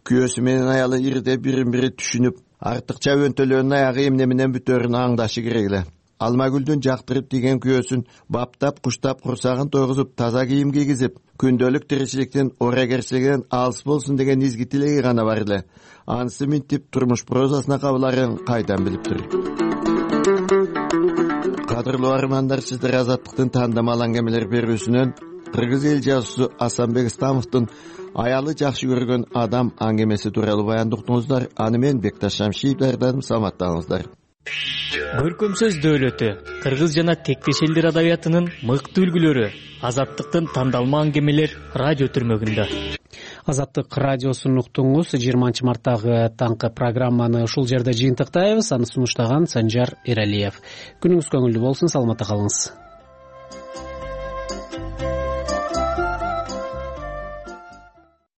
күйөөсү менен аялы ирде бирин бири түшүнүп, артыкча өntөлөөнүн аягы эмне менен бүтөөрүн аңдашы керек эле. Алмагүлдүн жактырып тийген күйөөсүн баптап, куштап, курсагын тойгузуп, таза кийим кийгизип, күндөлүк тиричиликтин орагерчилигинен алыс болсун деген изги тилеги гана бар эле. Анысы минтип турмуш прозасына кабыларын кайдан билиптир? Кадырлуу армандар, сиздер Азаттыктын тандамал аңгемелер берүүсүнөн кыргыз эл жазуусу Асанбек Ыстамовдун аялы жакшы көргөн адам аңгемеси тууралуу баянды уктуңуздар. Аны мен Бекташ Шамшиев даярдадым. Саламаттаңыздар. Көркөм сөз дөөлөтү, кыргыз жана тектеш элдер адабиятынын мыкты үлгүлөрү Азаттыктын тандалма аңгемелер радио түрмөгүндө. Азаттык радиосун уктуңуз. жыйырманчы марттагы таңкы программаны ушул жерде жыйынтыктайбыз. Аны сунуштаган Санжар Эралиев. Күнүңүз көңүлдүү болсун, саламатта калыңыз.